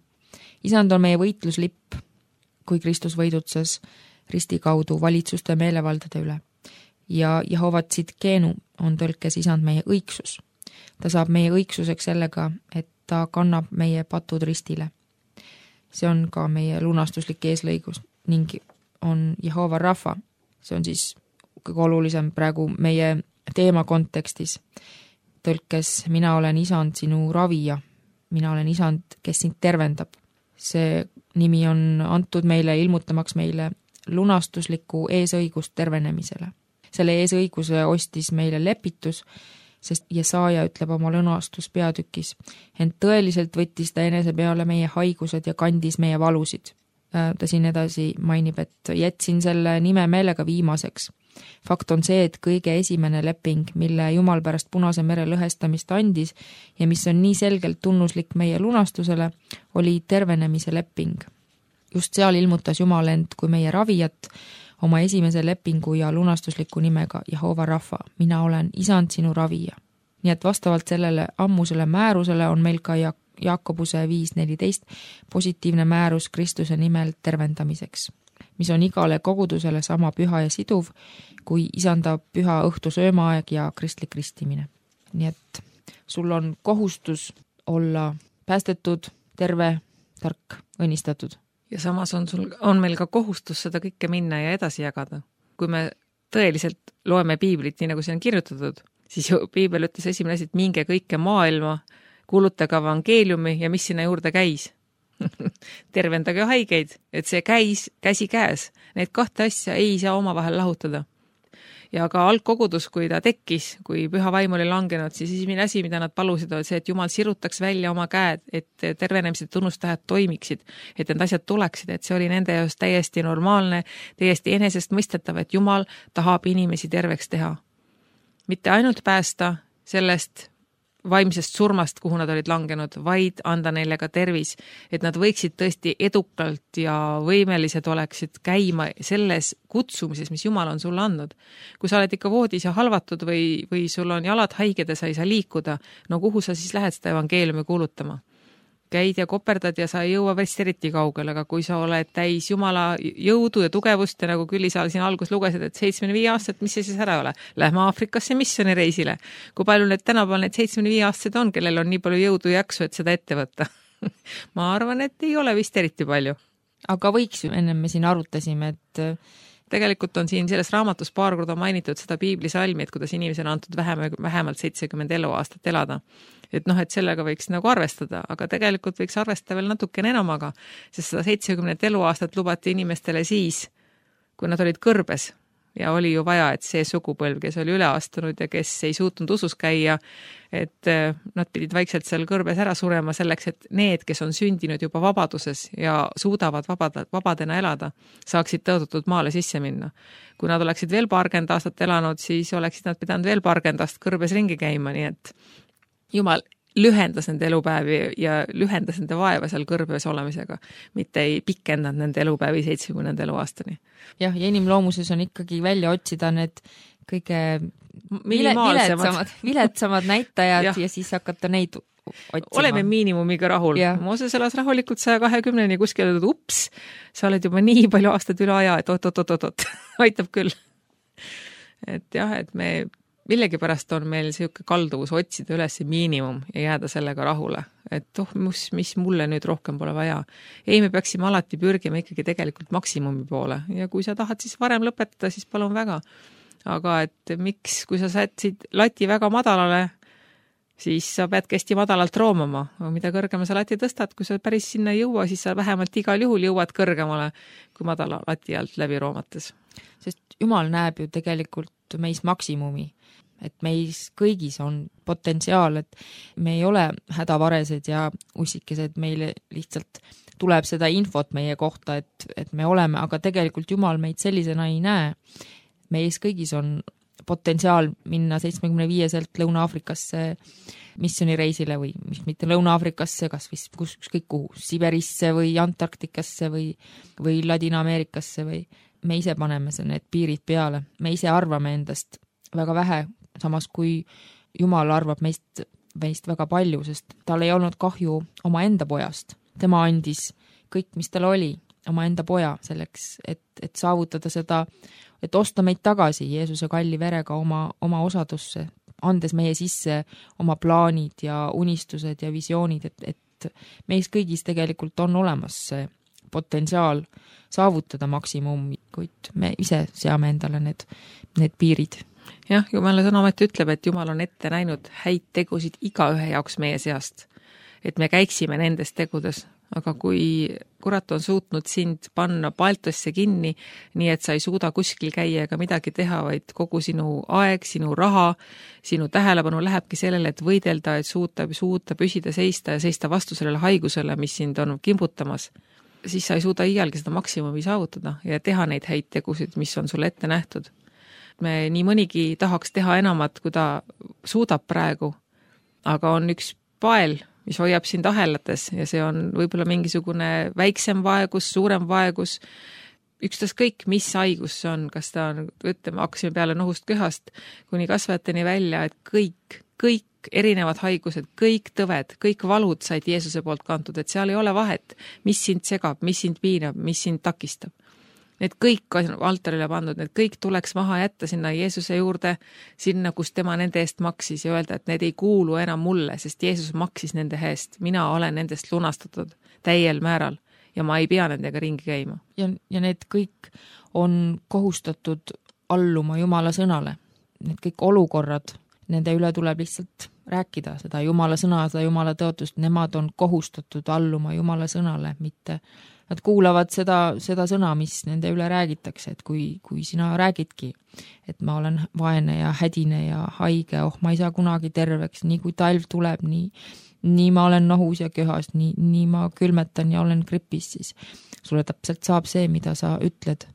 isand on meie võitluslipp, kui Kristus võidutses risti kaudu valitsuste meelevaldade üle. Ja Jehova Tsitkenu on tõlkes isand meie õigsus. Ta saab meie õigsuseks sellega, et ta kannab meie patud ristile. See on ka meie lunastuslik eeslõigus ning on Jehova Rafa. See on siis kõige olulisem praegu meie teema kontekstis. Tõlkes, mina olen isand sinu ravija, mina olen isand, kes sind tervendab. See nimi on antud meile, ilmutamaks meile lunastusliku eesõigust tervenemisele. Selle eesõiguse ostis meile lepitus, sest Jesaja ütleb oma lunastus peatükis, ent tõeliselt võttis ta enese peale meie haigused ja kandis meie valusid. Ta siin edasi mainib, et jätsin selle nime meelega viimaseks. Fakt on see, et kõige esimene leping, mille Jumal pärast Punase mere lõhestamist andis ja mis on nii selgelt tunnuslik meie lunastusele, oli tervenemise leping. Just seal ilmutas Jumal end kui meie ravijat oma esimese lepingu ja lunastusliku nimega Jehova Rafa, mina olen isand sinu ravija. Nii et vastavalt sellele ammusele määrusele on meil ka Jaakobuse 5.14 positiivne määrus Kristuse nimel tervendamiseks, mis on igale kogudusele sama püha ja siduv, kui isanda püha õhtu söömaaeg ja kristlik ristimine. Nii et sul on kohustus olla päästetud, terve, tark, õnnistatud. Ja samas on meil ka kohustus seda kõike minna ja edasi jagada. Kui me tõeliselt loeme piiblit, nii nagu see on kirjutatud, siis piibel ütles esimene asi, et minge kõike maailma, kuulutage evangeeliumi ja mis sinna juurde käis. Tervendage haigeid, et see käis käsi käes. Need kahte asja ei saa omavahel lahutada. Ja ka algkogudus, kui ta tekkis, kui püha vaim oli langenud, siis esimene asi, mida nad palusid, oli see, et Jumal sirutaks välja oma käed, et tervenemised tunnustähed toimiksid, et need asjad tuleksid, et see oli nende jaoks täiesti normaalne, täiesti enesest mõistetav, et Jumal tahab inimesi terveks teha. Mitte ainult päästa sellest vaimsest surmast, kuhu nad olid langenud, vaid anda neile ka tervis, et nad võiksid tõesti edukalt ja võimelised oleksid käima selles kutsumises, mis Jumal on sulle andnud. Kui sa oled ikka voodis ja halvatud või sul on jalad haiged ja sa ei saa liikuda, no kuhu sa siis lähed seda evangeeliumi kuulutama? käid ja koperdad ja sa ei jõua vist eriti kaugele, aga kui sa oled täis Jumala jõudu ja tugevust ja nagu Küllisaal siin algus lugesid, et 75 aastat, mis see siis ära ole? Lähme Aafrikasse missioonireisile. Kui palju need tänapäeval need 75 aastased on, kellel on nii palju jõudu ja jaksu, et seda ette võtta? Ma arvan, et ei ole vist eriti palju. Aga võiks ju, enne me siin arutasime, et tegelikult on siin selles raamatus paar korda mainitud seda piiblisalmi, et kuidas inimesel on antud vähemalt 70 eluaastat elada. Et et sellega võiks nagu arvestada, aga tegelikult võiks arvestada veel natukene enamaga, sest seda 70 eluaastat lubati inimestele siis, kui nad olid kõrbes. Ja oli ju vaja, et see sugupõlv, kes oli üle astunud ja kes ei suutnud usus käia, et nad pidid vaikselt seal kõrbes ära surema selleks, et need, kes on sündinud juba vabaduses ja suudavad vabadena elada, saaksid tõotatud maale sisse minna. Kui nad oleksid veel paarkümmend aastat elanud, siis oleksid nad pidanud veel paarkümmend aastat kõrbes ringi käima, nii et Jumal lühendas nende elupäevi ja lühendas nende vaeva seal kõrbes olemisega, mitte ei pikendanud nende elupäevi 70 eluaastani. Jah, ja inimloomuses on ikkagi välja otsida need kõige viletsamad näitajad ja siis hakata neid otsima. Oleme miinimumiga rahul. Mooses elas rahulikult 120-ni kuskil, ups, sa oled juba nii palju aastad üle aja, et oot, aitab küll. Et jah, et me millegipärast on meil selline kalduvus otsida üles miinimum ja jääda sellega rahule. Et mis mulle nüüd rohkem pole vaja. Ei, me peaksime alati pürgima ikkagi tegelikult maksimumi poole. Ja kui sa tahad siis varem lõpetada, siis palun väga. Aga et miks, kui sa sätsid lati väga madalale, siis sa pead hästi madalalt roomama. Mida kõrgema sa lati tõstad, kui sa päris sinna ei jõua, siis sa vähemalt igal juhul jõuad kõrgemale kui madala lati alt läbi roomates. Sest Jumal näeb ju tegelikult meis maksimumi. Et meis kõigis on potentsiaal, et me ei ole hädavaresed ja ussikesed, meile lihtsalt tuleb seda infot meie kohta, et me oleme, aga tegelikult Jumal meid sellisena ei näe. Meis kõigis on potentsiaal minna 75-selt Lõuna-Aafrikasse missioonireisile või mitte Lõuna-Aafrikasse, kas ükskõik kuhu, Siberisse või Antarktikasse või Ladina-Ameerikasse või me ise paneme need piirid peale. Me ise arvame endast väga vähe, samas kui Jumal arvab meist väga palju, sest tal ei olnud kahju oma enda pojast. Tema andis kõik, mis tal oli, oma enda poja selleks, et saavutada seda, et osta meid tagasi Jeesuse kalli verega oma osadusse, andes meie sisse oma plaanid ja unistused ja visioonid, et meis kõigis tegelikult on olemas see potentsiaal saavutada maksimum, kuid me ise seame endale need piirid. Jah, Jumala sõnamet ütleb, et Jumal on ette näinud häid tegusid igaühe jaoks meie seast, et me käiksime nendes tegudes, aga kui kurat on suutnud sind panna paltosse kinni, nii et sa ei suuda kuskil käia ega midagi teha, vaid kogu sinu aeg, sinu raha, sinu tähelepanu lähebki sellele, et võidelda, et suuta püsida, seista ja seista vastu sellele haigusele, mis sind on kimbutamas, siis sa ei suuda iialgi seda maksimumi saavutada ja teha neid häid tegusid, mis on sulle ette nähtud. Me nii mõnigi tahaks teha enamat, kui ta suudab praegu, aga on üks pael, mis hoiab sind ahelates ja see on võib-olla mingisugune väiksem vaegus, suurem vaegus, ükstas kõik, mis haigus see on, kas ta on, ütleme, hakkasime peale nohust köhast kuni kasvajateni välja, et kõik erinevad haigused, kõik tõved, kõik valud said Jeesuse poolt kantud, et seal ei ole vahet, mis sind segab, mis sind piinab, mis sind takistab. Need kõik on altarile pandud, need kõik tuleks maha jätta sinna Jeesuse juurde, sinna, kus tema nende eest maksis ja öelda, et need ei kuulu enam mulle, sest Jeesus maksis nende eest. Mina olen nendest lunastatud täiel määral ja ma ei pea nendega ringi käima. Ja need kõik on kohustatud alluma Jumala sõnale. Need kõik olukorrad, nende üle tuleb lihtsalt rääkida, seda Jumala sõna, seda Jumala tõotust, nemad on kohustatud alluma Jumala sõnale, mitte nad kuulavad seda sõna, mis nende üle räägitakse, et kui sina räägidki, et ma olen vaene ja hädine ja haige, ma ei saa kunagi terveks, nii kui talv tuleb, nii ma olen nohus ja köhas, nii ma külmetan ja olen gripis, siis sulle täpselt saab see, mida sa ütled.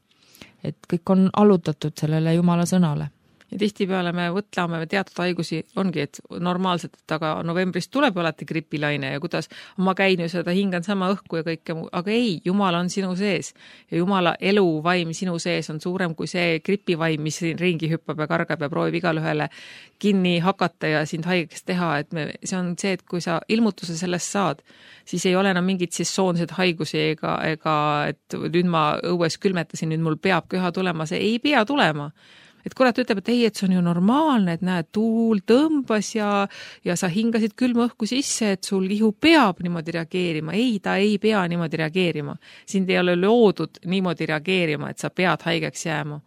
Et kõik on allutatud sellele Jumala sõnale. Ja tihtipeale me võtlame teatud haigusi, ongi, et normaalselt, et aga novembris tuleb alati gripilaine ja kuidas ma käin ju seda, hingan sama õhku ja kõike muu, aga ei, Jumal on sinu sees ja Jumala eluvaim sinu sees on suurem kui see gripivaim, mis ringi hüppab ja kargab ja proovib igalühele kinni hakata ja sind haigeks teha, et see on see, et kui sa ilmutuse sellest saad, siis ei ole enam mingit sesoonseid haigusi ega et nüüd ma õues külmetasin, nüüd mul peab köha tulema, see ei pea tulema. Et kurat ütleb, et ei, et see on ju normaalne, et näed, tuul tõmbas ja sa hingasid külma õhku sisse, et sul ihu peab niimoodi reageerima. Ei, ta ei pea niimoodi reageerima. Sind ei ole loodud niimoodi reageerima, et sa pead haigeks jääma.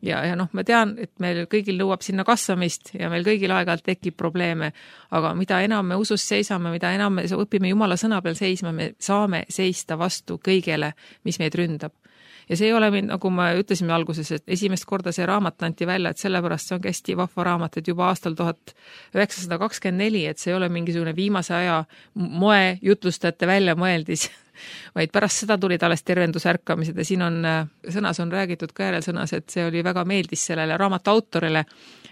Ja ma tean, et meil kõigil nõuab sinna kasvamist ja meil kõigil aeg-ajalt tekib probleeme, aga mida enam me usus seisame, mida enam me õpime Jumala sõna peal seisma, me saame seista vastu kõigele, mis meid ründab. Ja see ei ole mind, nagu me ütlesime alguses, et esimest korda see raamat anti välja, et sellepärast see on hästi vahva raamat, et juba aastal 1924, et see ei ole mingisugune viimase aja moe jutlustajate välja mõeldis, vaid pärast seda tulid alles tervendusärkamised ja siin on, sõnas on räägitud ka järelsõnas, et see oli väga meeldis sellele raamatu autorile,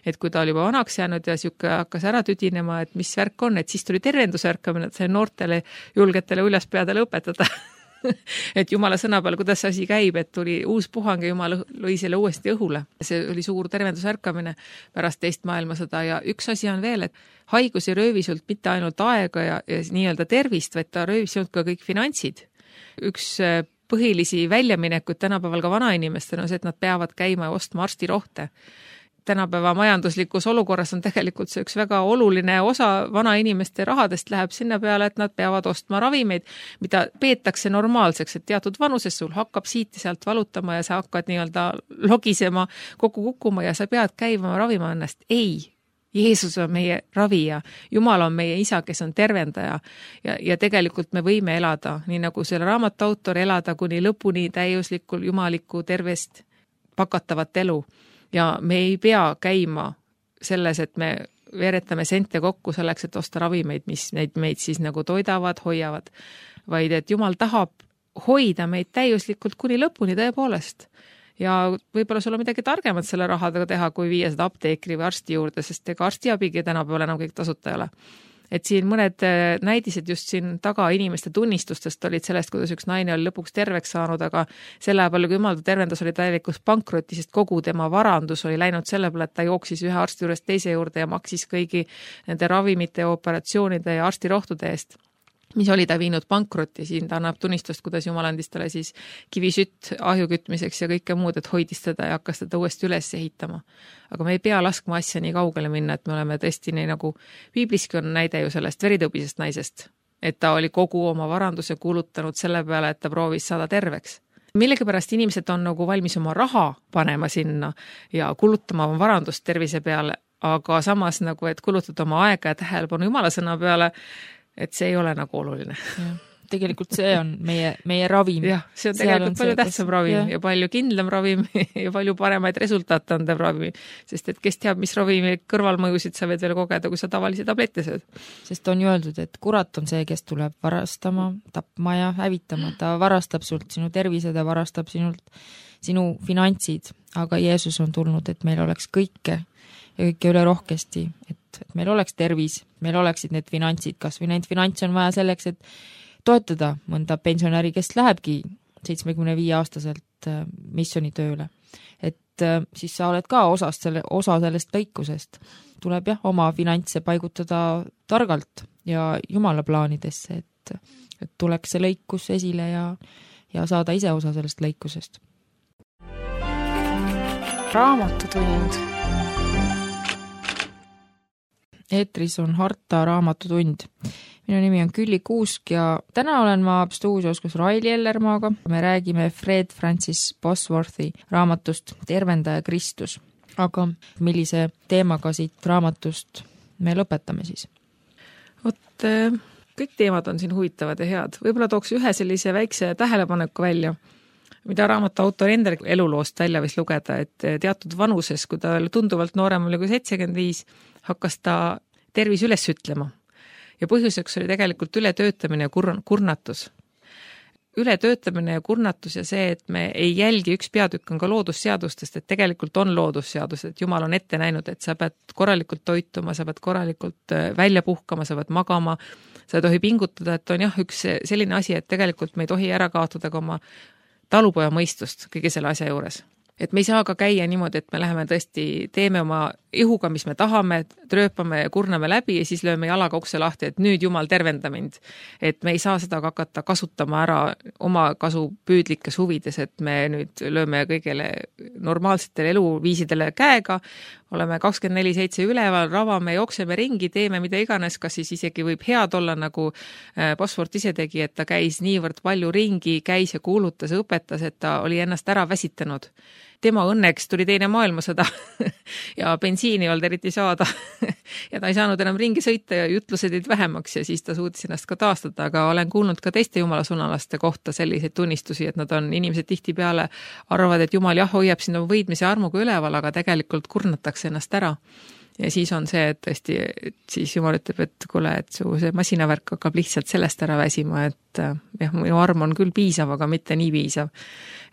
et kui ta oli juba vanaks jäänud ja siuke hakkas ära tüdinema, et mis värk on, et siis tuli tervendusärkamine, et see noortele julgetele uljaspeadele õpetada. Et Jumala sõna peal, kuidas asi käib, et tuli uus puhang ja Jumal lõi selle uuesti õhule. See oli suur tervendusärkamine pärast teist maailmasõda ja üks asi on veel, et haigus ei röövi sult mitte ainult aega ja nii-öelda tervist, vaid ta röövis sult ka kõik finantsid. Üks põhilisi väljaminekuid tänapäeval ka vanainimestel on see, et nad peavad käima ja ostma arstirohte. Tänapäeva majanduslikus olukorras on tegelikult see üks väga oluline osa vanainimeste rahadest läheb sinna peale, et nad peavad ostma ravimeid, mida peetakse normaalseks, et teatud vanuses sul hakkab siit ja sealt valutama ja sa hakkad nii-öelda logisema, kokku kukkuma ja sa pead käima ravima ennast. Ei, Jeesus on meie ravija, Jumal on meie isa, kes on tervendaja ja tegelikult me võime elada, nii nagu selle raamatu autor, elada kuni lõpuni täiuslikul jumalikku tervest pakatavat elu. Ja me ei pea käima selles, et me veeretame sente kokku selleks, et osta ravimeid, mis meid siis nagu toidavad, hoiavad, vaid et Jumal tahab hoida meid täiuslikult kuni lõpuni tõepoolest. Ja võib-olla sul on midagi targemat selle rahadega teha, kui viia seda apteekri või arsti juurde, sest ega arstiabigi tänapäeval enam kõik tasuta ei ole. Et siin mõned näidised just siin taga inimeste tunnistustest olid sellest, kuidas üks naine oli lõpuks terveks saanud, aga selle palju, kui Jumal ta tervendas, oli täielikus pankrotti, sest kogu tema varandus oli läinud selle peale, et ta jooksis ühe arsti juurest teise juurde ja maksis kõigi nende ravimite ja operatsioonide ja arstirohtude eest, mis oli ta viinud pankrotti. Siin ta annab tunnistust, kuidas Jumal andis talle siis kivisütt ahju kütmiseks ja kõike muud, et hoidis teda ja hakkas teda uuesti üles ehitama. Aga me ei pea laskma asja nii kaugele minna, et me oleme tõesti nii nagu piibliski on näide ju sellest veritõbisest naisest, et ta oli kogu oma varanduse kulutanud selle peale, et ta proovis saada terveks. Millegipärast inimesed on nagu valmis oma raha panema sinna ja kulutama oma varandust tervise peale, aga samas nagu, et kulutada oma aega ja tähelepanu Jumala sõna peale, et see ei ole nagu oluline. Ja, tegelikult see on meie ravim. Jah, see on tegelikult palju tähtsam ravim ja palju kindlam ravim ja palju paremaid resultaate andev ravim, sest et kes teab, mis ravimi kõrvalmõjusid sa võid veel kogeda, kui sa tavalisi tablette sööd. Sest on ju öeldud, et kurat on see, kes tuleb varastama, tapma ja hävitama. Ta varastab sult sinu tervise, ta varastab sinult sinu finantsid, aga Jeesus on tulnud, et meil oleks kõike ja kõike üle rohkesti, et meil oleks tervis, meil oleksid need finantsid, kas või neid finantsi on vaja selleks, et toetada mõnda pensionäri, kes lähebki 75-aastaselt missionitööle. Et siis sa oled ka osa sellest lõikusest. Tuleb jah, oma finantse paigutada targalt ja Jumala plaanidesse, et tuleks see lõikus esile ja saada ise osa sellest lõikusest. Raamatutund. Eetris on Harta raamatutund. Minu nimi on Külli Kuusk ja täna olen ma stuudios koos Raili Ellermaaga. Me räägime Fred Francis Bosworthi raamatust Tervendaja Kristus. Aga millise teemaga siit raamatust me lõpetame siis? Kõik teemad on siin huvitavad ja head. Võib-olla tooks ühe sellise väikse tähelepaneku välja, mida raamatu autor enda eluloost välja võis lugeda, et teatud vanuses, kui ta tunduvalt noorem oli kui 75, hakkas ta tervis üles ütlema. Ja põhjuseks oli tegelikult ületöötamine ja kurnatus. ületöötamine ja kurnatus ja see, et me ei jälgi, üks peatükk on ka loodusseadustest, et tegelikult on loodusseadused, et Jumal on ette näinud, et sa pead korralikult toituma, sa pead korralikult välja puhkama, sa pead magama, sa ei tohi pingutada, et on jah, üks selline asi, et tegelikult me ei tohi ära kaotada ka oma talupoja mõistust kõige selle asja juures. Et me ei saa ka käia niimoodi, et me läheme tõesti, teeme oma ihuga, mis me tahame, trööpame ja kurname läbi ja siis lööme jalaga ukse lahti, et nüüd Jumal tervenda mind. Et me ei saa seda hakata kasutama ära oma kasupüüdlikes huvides, et me nüüd lööme kõigele normaalsetele eluviisidele käega, oleme 24/7 üleval, ravame, jookseme ringi, teeme mida iganes, kas siis isegi võib head olla, nagu Bosworth ise tegi, et ta käis niivõrd palju ringi, käis ja kuulutas, õpetas, et ta oli ennast ära väsitanud. Tema õnneks tuli teine maailmasõda ja bensiini ei olnud eriti saada ja ta ei saanud enam ringi sõita ja jutlused jäid vähemaks ja siis ta suutis ennast ka taastada, aga olen kuulnud ka teiste jumalasõnalaste kohta selliseid tunnistusi, et nad on, inimesed tihtipeale arvavad, et Jumal jah, hoiab sinna võidmise armuga üleval, aga tegelikult kurnatakse ennast ära. Ja siis on see, et tõesti, et siis Jumal ütleb, et kuule, et su see masinavärk hakkab lihtsalt sellest ära väsima, et jah, minu arm on küll piisav, aga mitte nii piisav.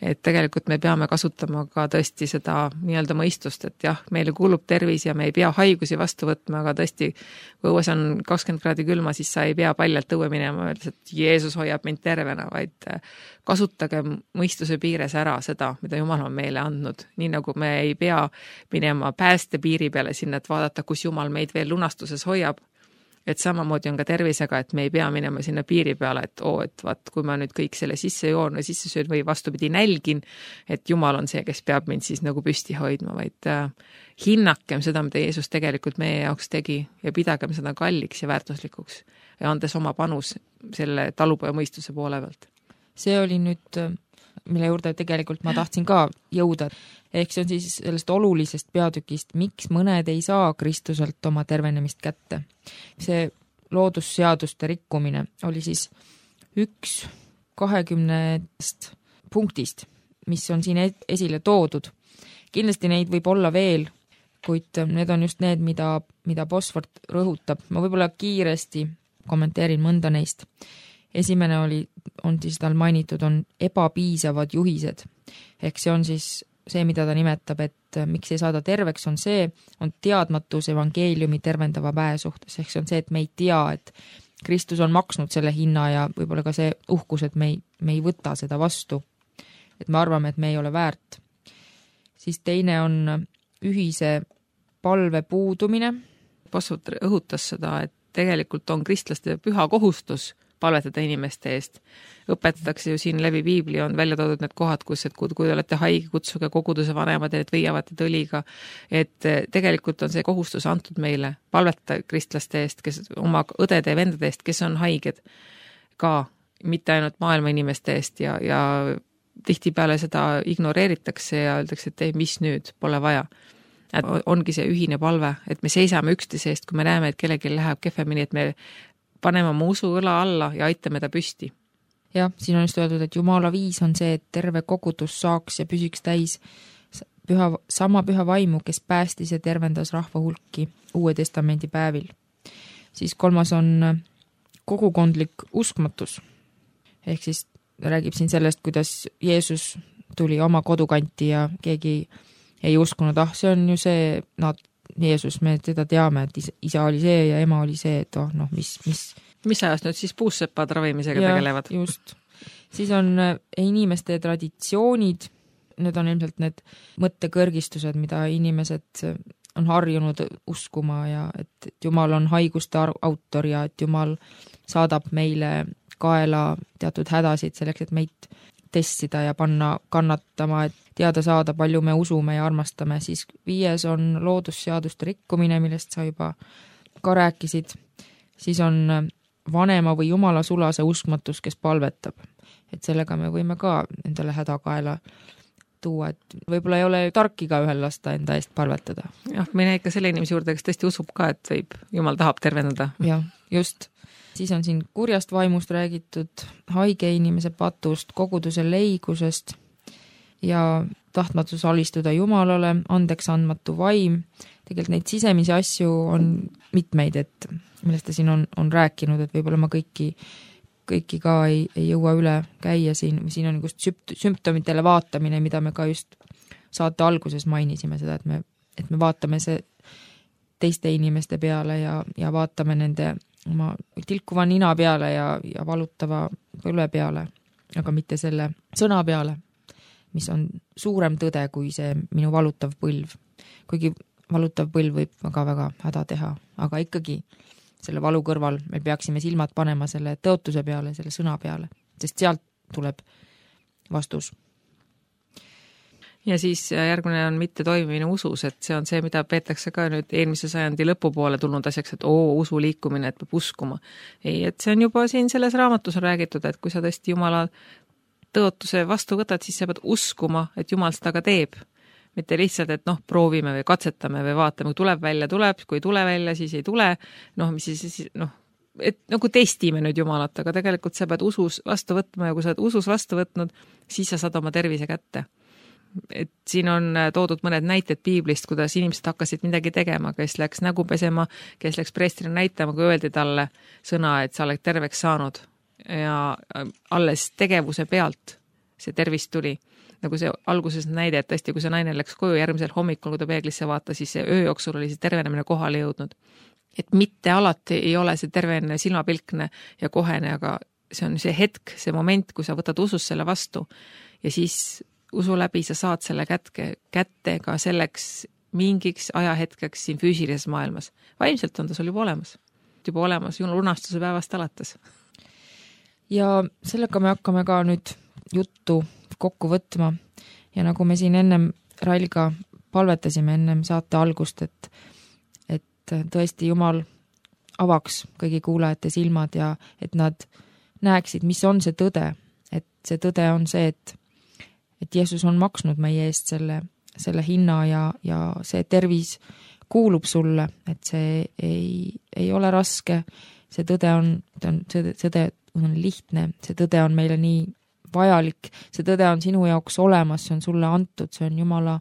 Et tegelikult me peame kasutama ka tõesti seda nii-öelda mõistust, et jah, meile kuulub tervis ja me ei pea haigusi vastu võtma, aga tõesti, kui õues on 20 kraadi külma, siis sa ei pea paljalt õue minema, öeldes, et Jeesus hoiab mind tervena, vaid kasutage mõistuse piires ära seda, mida Jumal on meile andnud. Nii nagu me ei pea minema pääste piiri peale sinna, et vaadata, kus Jumal meid veel lunastuses hoiab. Et samamoodi on ka tervisega, et me ei pea minema sinna piiri peale, et et vaat, kui ma nüüd kõik selle sisse joon või sisse söön või vastupidi nälgin, et Jumal on see, kes peab mind siis nagu püsti hoidma, vaid hinnakem seda, mida Jeesus tegelikult meie jaoks tegi ja pidagem seda kalliks ja väärtuslikuks ja andes oma panus selle talupoja mõistuse poole pealt. See oli nüüd, mille juurde tegelikult ma tahtsin ka jõuda. Ehk see on siis sellest olulisest peatükist, miks mõned ei saa Kristuselt oma tervenemist kätte. See loodusseaduste rikkumine oli siis 1/20 punktist, mis on siin esile toodud. Kindlasti neid võib olla veel, kuid need on just need, mida Bosworth rõhutab. Ma võib-olla kiiresti kommenteerin mõnda neist. Esimene on siis tal mainitud, on ebapiisavad juhised. Ehk see on siis see, mida ta nimetab, et miks ei saada terveks, on teadmatus evangeeliumi tervendava väe suhtes. Ehk see on see, et me ei tea, et Kristus on maksnud selle hinna ja võib-olla ka see uhkus, et me ei võta seda vastu. Et me arvame, et me ei ole väärt. Siis teine on ühise palve puudumine. Bosworth õhutas seda, et tegelikult on kristlaste püha kohustus palvetada inimeste eest. Õpetatakse ju siin läbi Piibli, on välja toodud need kohad, kus, et kui olete haige, kutsuge koguduse vanemad ja need võiavad õliga. Et tegelikult on see kohustus antud meile palvetada kristlaste eest, kes oma õdede ja vendade eest, kes on haiged ka, mitte ainult maailma inimeste eest ja tihtipeale seda ignoreeritakse ja öeldakse, et ei, mis nüüd, pole vaja. Et ongi see ühine palve, et me seisame üksteise eest, kui me näeme, et kellelgi läheb kehvemini, et me paneme oma usu õla alla ja aitame ta püsti. Jah, siin on just öeldud, et Jumala viis on see, et terve kogudus saaks ja püsiks täis sama püha vaimu, kes päästis ja tervendas rahva hulki Uue Testamendi päevil. Siis 3. on kogukondlik uskmatus. Ehk siis räägib siin sellest, kuidas Jeesus tuli oma kodukanti ja keegi ei uskunud, see on ju see, Jeesus, me teda teame, et isa oli see ja ema oli see, et mis ajast nüüd siis puussepad ravimisega tegelevad? Just. Siis on inimeste traditsioonid, need on ilmselt need mõttekõrgistused, mida inimesed on harjunud uskuma ja et Jumal on haiguste autor ja et Jumal saadab meile kaela teatud hädasid selleks, et meid testida ja panna kannatama, et teada saada, palju me usume ja armastame. Siis 5. on loodusseaduste rikkumine, millest sa juba ka rääkisid. Siis on vanema või jumala sulase uskmatus, kes palvetab. Et sellega me võime ka endale hädakaela tuua, et võib-olla ei ole tark iga ühel lasta enda eest palvetada. Jah, me näe ikka selle inimese juurde, kes tõesti usub ka, et võib, Jumal tahab tervendada. Jah, just. Siis on siin kurjast vaimust räägitud, haige inimese patust, koguduse leigusest ja tahtmatus alistuda Jumalale, andeks andmatu vaim. Tegelikult neid sisemisi asju on mitmeid, et millest ta siin on rääkinud, et võib-olla ma kõiki kõiki ka ei jõua üle käia siin on just sümptomitele vaatamine, mida me ka just saate alguses mainisime seda, et me vaatame see teiste inimeste peale ja vaatame nende oma tilkuva nina peale ja valutava põlve peale, aga mitte selle sõna peale, mis on suurem tõde kui see minu valutav põlv. Kuigi valutav põlv võib väga häda teha, aga ikkagi selle valu kõrval me peaksime silmad panema selle tõotuse peale, selle sõna peale, sest sealt tuleb vastus. Ja siis järgmine on mitte toimimine usus, et see on see, mida peetakse ka nüüd eelmise sajandi lõpupoole tulnud asjaks, et usu liikumine, et peab uskuma. Ei, et see on juba siin selles raamatus on räägitud, et kui sa tõesti Jumala tõotuse vastu võtad, siis sa pead uskuma, et Jumal seda ka teeb. Mitte lihtsalt, et proovime või katsetame või vaatame, kui tuleb välja, tuleb, kui ei tule välja, siis ei tule, et nagu testime nüüd Jumalat, aga tegelikult sa pead usus vastu võtma ja kui sa oled usus vastu võtnud, siis sa saad oma tervise kätte. Et siin on toodud mõned näited piiblist, kuidas inimesed hakkasid midagi tegema, kes läks nägu pesema, kes läks preestrile näitama, kui öeldi talle sõna, et sa oled terveks saanud ja alles tegevuse pealt see tervis tuli. Nagu see alguses näide, et tõesti, kui see naine läks koju järgmisel hommikul, kui ta peeglisse vaata, siis see öö jooksul oli see tervenemine kohale jõudnud. Et mitte alati ei ole see tervenemine silmapilkne ja kohene, aga see on see hetk, see moment, kui sa võtad usus selle vastu ja siis usu läbi sa saad selle kätte ka selleks mingiks ajahetkeks siin füüsilises maailmas. Vaimselt on ta sul juba olemas lunastuse päevast alates. Ja sellega me hakkame ka nüüd juttu kokku võtma ja nagu me siin ennem Railiga palvetasime ennem saate algust, et tõesti Jumal avaks kõigi kuulajate silmad ja et nad näeksid, mis on see tõde, et see tõde on see, et Jeesus on maksnud meie eest selle hinna ja see tervis kuulub sulle, et see ei ole raske, see tõde on lihtne, see tõde on meile nii vajalik, see tõde on sinu jaoks olemas, see on sulle antud, see on Jumala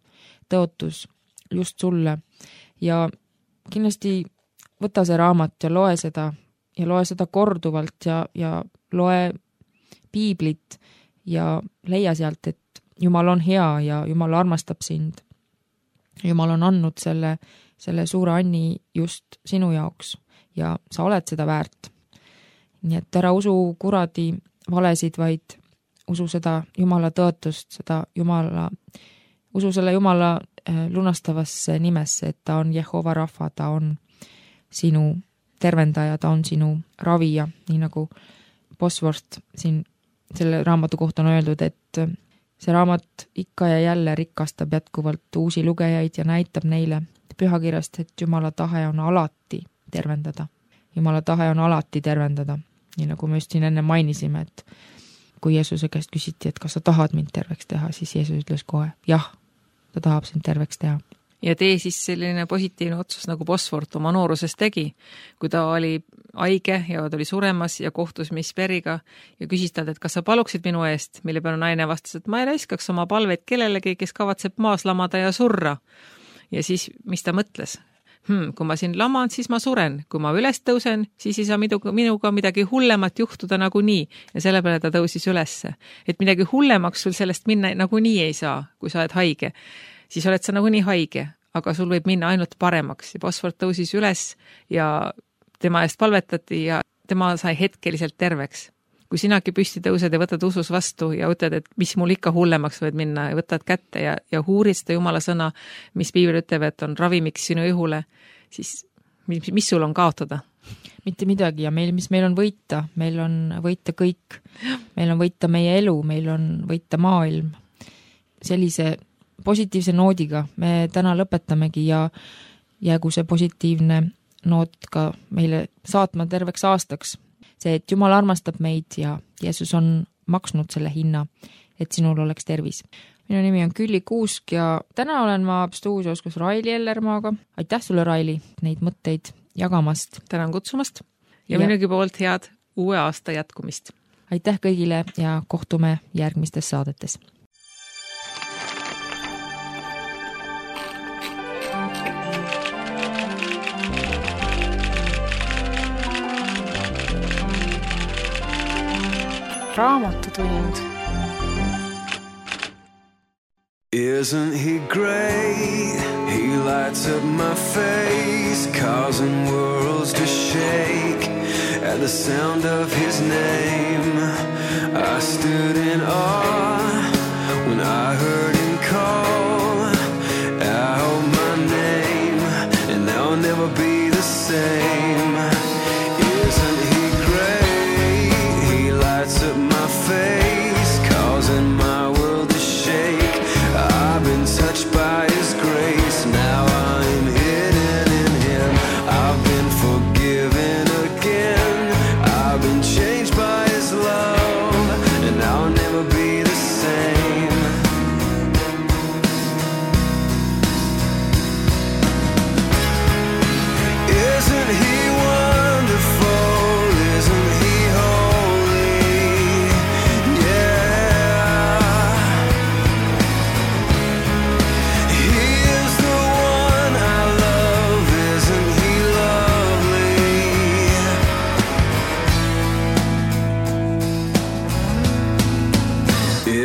tõotus just sulle ja kindlasti võta see raamat ja loe seda korduvalt ja loe piiblit ja leia sealt, et Jumal on hea ja Jumal armastab sind. Jumal on andnud selle suure anni just sinu jaoks ja sa oled seda väärt. Nii et ära usu kuradi valesid, vaid usu seda Jumala tõotust, usu selle Jumala lunastavasse nimesse, et ta on Jehova Rafa, ta on sinu tervendaja, ta on sinu ravija, nii nagu Bosworth siin selle raamatu kohta on öeldud, et see raamat ikka ja jälle rikastab jätkuvalt uusi lugejaid ja näitab neile pühakirjast, et Jumala tahe on alati tervendada. Jumala tahe on alati tervendada, nii nagu me just siin enne mainisime, et kui Jeesuse käest küsiti, et kas sa tahad mind terveks teha, siis Jeesus ütles kohe, jah, ta tahab sind terveks teha. Ja tee siis selline positiivne otsus, nagu Bosworth oma nooruses tegi, kui ta oli haige ja ta oli suremas ja kohtus Miss Berry'ga ja küsis talt, et kas sa paluksid minu eest, mille peale naine vastas, et ma ei raiskaks oma palveid kellelegi, kes kavatseb maas lamada ja surra. Ja siis, mis ta mõtles? Kui ma siin laman, siis ma suren. Kui ma üles tõusen, siis ei saa minuga midagi hullemat juhtuda nagu nii. Ja selle peale ta tõusis ülesse. Et midagi hullemaks sul sellest minna nagu nii ei saa, kui sa oled haige. Siis oled sa nagu nii haige, aga sul võib minna ainult paremaks. Ja Bosworth tõusis üles ja tema eest palvetati ja tema sai hetkeliselt terveks. Kui sinagi püsti tõused ja võtad usus vastu ja ütled, et mis mul ikka hullemaks võid minna ja võtad kätte ja huurid seda Jumala sõna, mis piibel ütleb, et on ravimiks sinu ihule, siis mis sul on kaotada? Mitte midagi ja mis meil on võita? Meil on võita kõik. Meil on võita meie elu, meil on võita maailm. Sellise positiivse noodiga me täna lõpetamegi ja jäägu see positiivne noot ka meile saatma terveks aastaks. See, et Jumal armastab meid ja Jeesus on maksnud selle hinna, et sinul oleks tervis. Minu nimi on Külli Kuusk ja täna olen ma stuudios koos Raili Ellermaaga. Aitäh sulle, Raili, neid mõtteid jagamast. Tänan kutsumast ja minugi poolt head uue aasta jätkumist. Aitäh kõigile ja kohtume järgmistes saadetes. Raamatutund. Isn't he great? He lights up my face, causing worlds to shake. At the sound of his name, I stood in awe when I heard him call out my name, and I'll never be the same. Isn't he great? He lights up my face, causing my world to shake. I've been touched by his grace, now I'm hidden in him. I've been forgiven again, I've been changed by his love, and I'll never be the same. Isn't he wonderful? Isn't he holy? Yeah. He is the one I love. Isn't he lovely?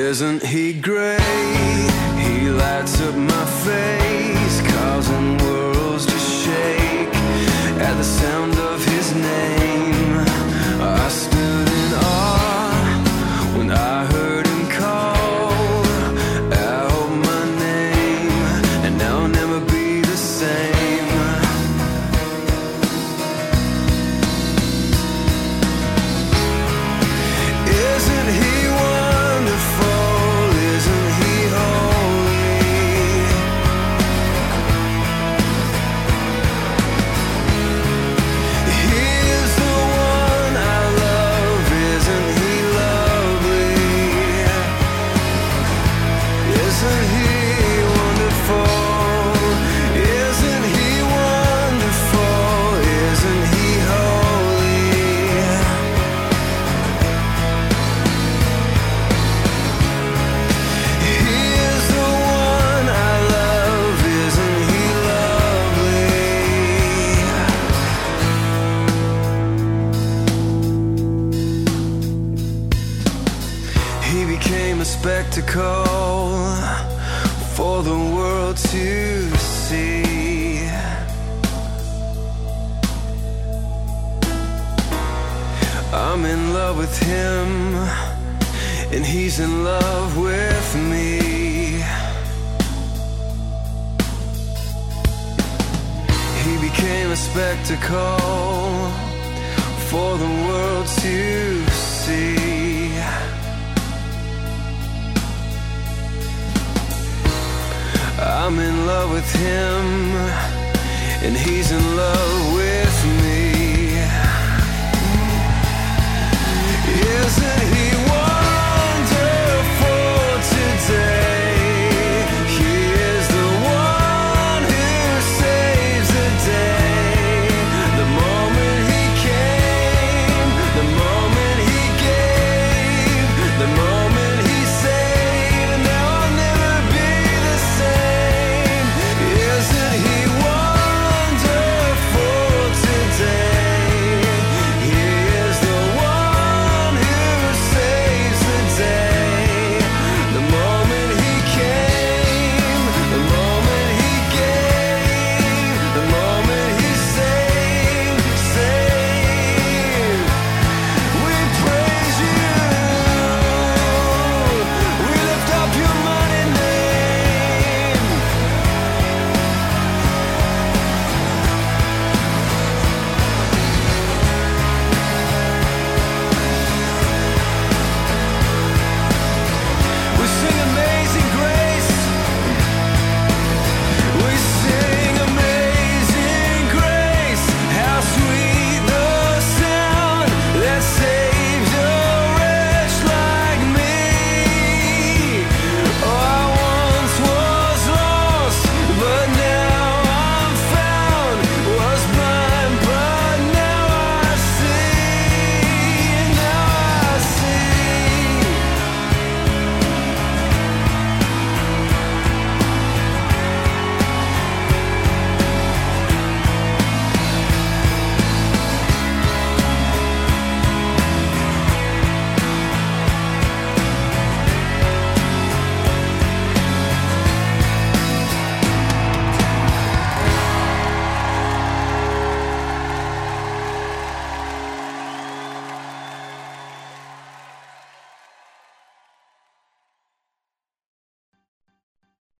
Isn't he great? He lights up my face, causing worlds to shake. At the sound of his name, I stood in awe when I heard him call out my name, and I'll never be the same. Isn't he wonderful? Isn't he holy? He is the one I love. Isn't he lovely? Isn't he wonderful? Isn't he wonderful? Isn't he holy? He is the one I love. Isn't he lovely? He became a spectacle for the world to see. I'm in love with him, and he's in love with me. He became a spectacle for the world to see. I'm in love with him, and he's in love with me. Isn't he